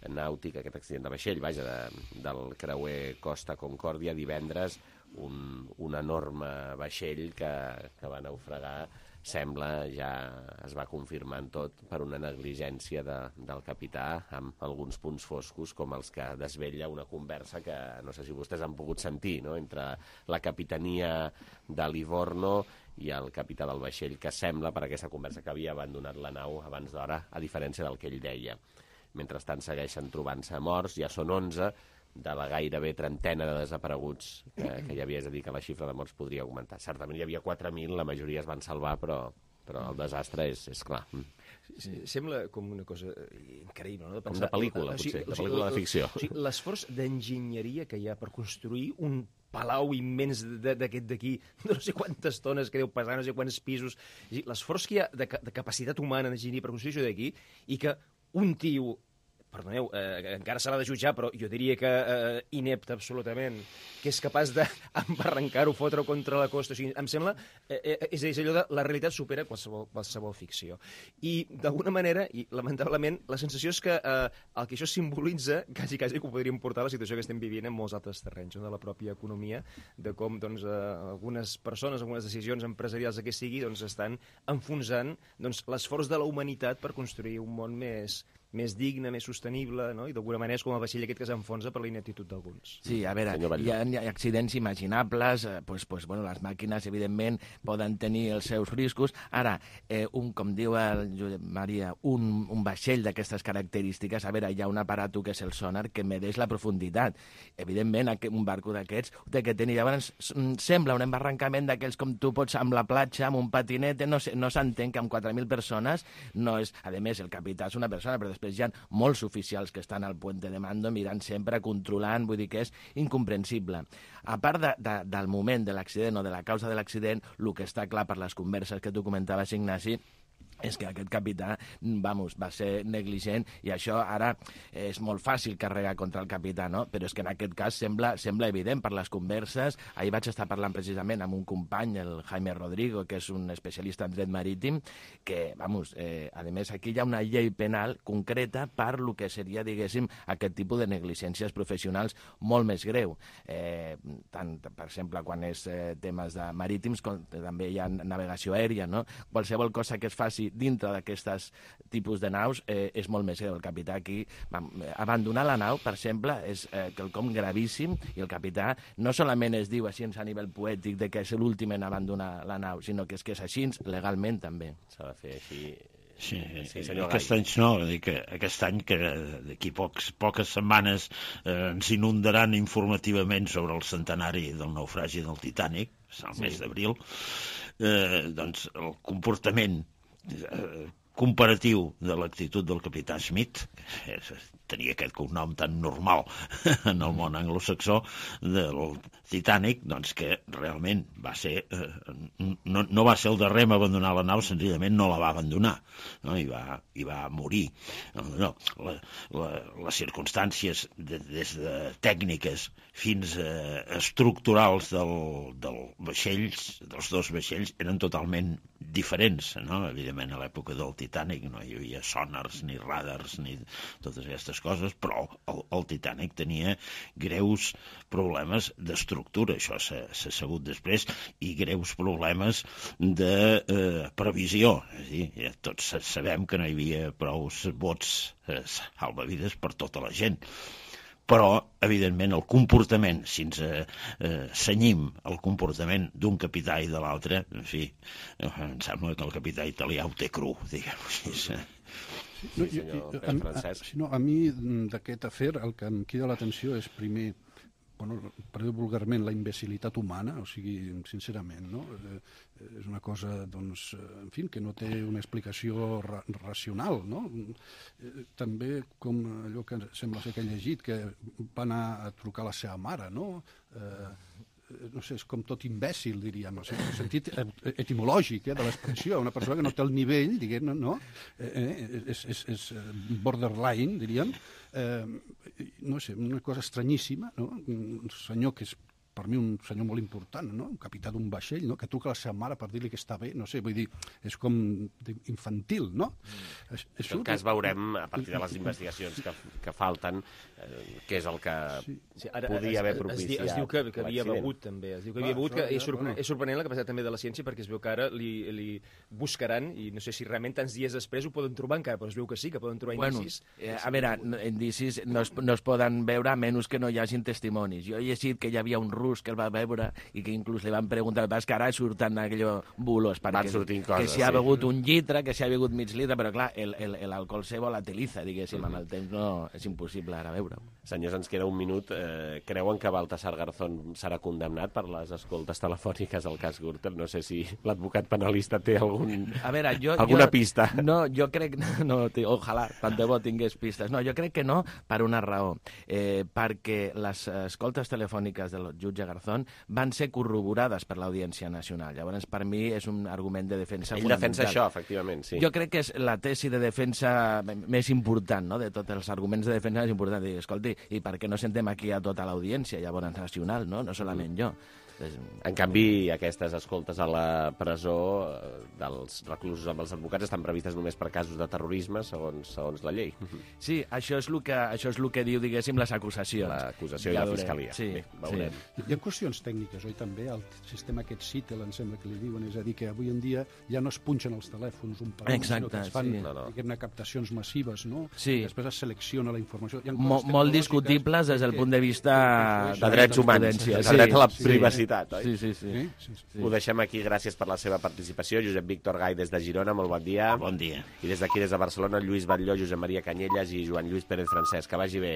nàutic, aquest accident de vaixell, del creuer Costa Concòrdia divendres, un enorme vaixell que va naufragar. Sembla, ja es va confirmant tot, per una negligència del capità, amb alguns punts foscos, com els que desvetlla una conversa que no sé si vostès han pogut sentir, no?, entre la capitania de Livorno i el capità del vaixell, que sembla, per aquesta conversa, que havia abandonat la nau abans d'hora, a diferència del que ell deia. Mentrestant segueixen trobant-se morts, ja són 11 de la gairebé trentena de desapareguts que hi havia, és a dir, que la xifra de morts podria augmentar. Certament hi havia 4.000, la majoria es van salvar, però el desastre és clar. Sembla com una cosa increïble, no? Com de pel·lícula, potser, de pel·lícula de ficció. L'esforç d'enginyeria que hi ha per construir un palau immens d'aquest d'aquí, no sé quantes tones que deu pesar, no sé quants pisos, l'esforç que hi ha de capacitat humana d'enginyeria per construir això d'aquí, i que un tio, perdoneu, encara se l'ha de jutjar, però jo diria que inepte absolutament, que és capaç d'embarrancar-ho, fotre-ho contra la costa. O sigui, em sembla, és allò de la realitat supera qualsevol ficció. I d'alguna manera, i lamentablement, la sensació és que el que això simbolitza, quasi que ho podríem portar a la situació que estem vivint en molts altres terrenys, de la pròpia economia, de com algunes persones, algunes decisions empresarials que sigui, estan enfonsant l'esforç de la humanitat per construir un món més digne, més sostenible, no? I d'alguna manera és com el vaixell aquest que s'enfonsa per la ineptitud d'alguns. Sí, a veure, hi ha accidents imaginables, les màquines, evidentment, poden tenir els seus riscos. Ara, com diu el Josep Maria, un vaixell d'aquestes característiques, a veure, hi ha un aparato que és el sonar que medeix la profunditat. Evidentment, un barco d'aquests té que tenir, llavors, sembla un embarrancament d'aquells com tu pots amb la platja, amb un patinet, no s'entén que amb 4.000 persones no és... A més, el capità és una persona, però després hi ha molts oficials que estan al puente de mando mirant sempre, controlant, vull dir que és incomprensible. A part del moment de l'accident o de la causa de l'accident, el que està clar per les converses que tu comentaves, Ignasi, és que aquest capità, va ser negligent, i això ara és molt fàcil carregar contra el capità, no? Però és que en aquest cas sembla evident per les converses. Ahir vaig estar parlant precisament amb un company, el Jaime Rodrigo, que és un especialista en dret marítim, que, a més, aquí hi ha una llei penal concreta per lo que seria, diguéssim, aquest tipus de negligències professionals molt més greu. Tant, per exemple, quan és temes de marítims, com també hi ha navegació aèria, no? Qualsevol cosa que es faci dintre d'aquestes tipus de naus és molt més greu. El capità aquí, abandonar la nau, per exemple, és quelcom gravíssim, i el capità no solament es diu així a nivell poètic de que és l'últim en abandonar la nau, sinó que és així legalment també. S'ha de fer així. Sí, aquest any no, aquest any que d'aquí poques setmanes ens inundaran informativament sobre el centenari del naufragi del Titanic, el mes d'abril, doncs el comportament comparatiu de l'actitud del capità Schmidt, tenia aquest cognom tan normal en el món anglosaxó del Titanic, doncs que realment va ser no va ser el darrer a abandonar la nau, senzillament no la va abandonar, no? I va morir. No, les circumstàncies des de tècniques fins a estructurals dels dos vaixells eren totalment diferents, no? Evidentment a l'època del Titanic no hi havia sonars ni radars ni totes aquestes coses, però el Titanic tenia greus problemes d'estructura, això s'ha sabut després, i greus problemes de previsió. És a dir, tots sabem que no hi havia prous bots salvavides per tota la gent. Però, evidentment, el comportament, si ens cenyim el comportament d'un capità i de l'altre, en fi, em sembla que el capità italià ho té cru, diguem-ho així. A mi d'aquest afer el que em crida l'atenció és primer, per dir vulgarment, la imbecilitat humana, o sigui, sincerament, no? És una cosa, doncs, en fi, que no té una explicació racional, no? També com allò que sembla ser que he llegit, que va anar a trucar a la seva mare, no? No sé, és com tot imbècil, diríem, en el sentit etimològic de l'expressió, una persona que no té el nivell, diguem, no? És borderline, diríem, no sé, una cosa estranyíssima, no? Un senyor que és per mi un senyor molt important, no? Un capità d'un vaixell, no? Que truca a la seva mare per dir-li que està bé, no sé, vull dir, és com infantil, no? En tot cas veurem, a partir de les investigacions que falten, què és el que podia haver propiciat. Es diu que havia begut, també. Es diu que havia begut, que és sorprenent la capacitat també de la ciència, perquè es veu que ara li buscaran, i no sé si realment tants dies després ho poden trobar encara, però es veu que sí, que poden trobar indicis. A veure, indicis no es poden veure a menys que no hi hagin testimonis. Jo he llegit que hi havia un rus que el va veure i que inclús li van preguntar, que ara surten aquells bulos, Van sortint coses, que si ha begut un litre, que si ha begut mig litre, però clar, l'alcohol se volatiliza, diguéssim, amb el temps no és impossible ara veure-ho. Senyors, ens queda un minut. Creuen que Baltasar Garzón serà condemnat per les escoltes telefòniques al cas Gürtel? No sé si l'advocat penalista té alguna pista. No, jo crec... No, ojalà, tant de bo tingués pistes. No, jo crec que no, per una raó. Perquè les escoltes telefòniques del jutge Garzón van ser corroborades per l'Audiència Nacional. Llavors, per mi, és un argument de defensa fonamental. Ell defensa això, efectivament, sí. Jo crec que és la tesi de defensa més important, no?, de tots els arguments de defensa més importants. Dir, escolti, i per què no sentem aquí a tota l'Audiència, llavors nacional, no solament jo? En canvi, aquestes escoltes a la presó dels reclusos amb els advocats estan previstes només per casos de terrorisme, segons la llei. Sí, això és el que diu, diguéssim, les acusacions. L'acusació i la fiscalia. Sí, veurem. Hi ha qüestions tècniques, oi, també? El sistema aquest CITEL, em sembla que li diuen, és a dir, que avui en dia ja no es punxen els telèfons un per un, sinó que es fan captacions massives, no? Sí. Després es selecciona la informació. Molt discutibles des del punt de vista de drets humans, de dret a la privacitat. Sí. Ho deixem aquí, gràcies per la seva participació. Josep Víctor Gai des de Girona, molt bon dia. Bon dia. I des d'aquí, des de Barcelona, Lluís Batlló, Josep Maria Canyelles i Joan Lluís Pérez Francesc. Que vagi bé.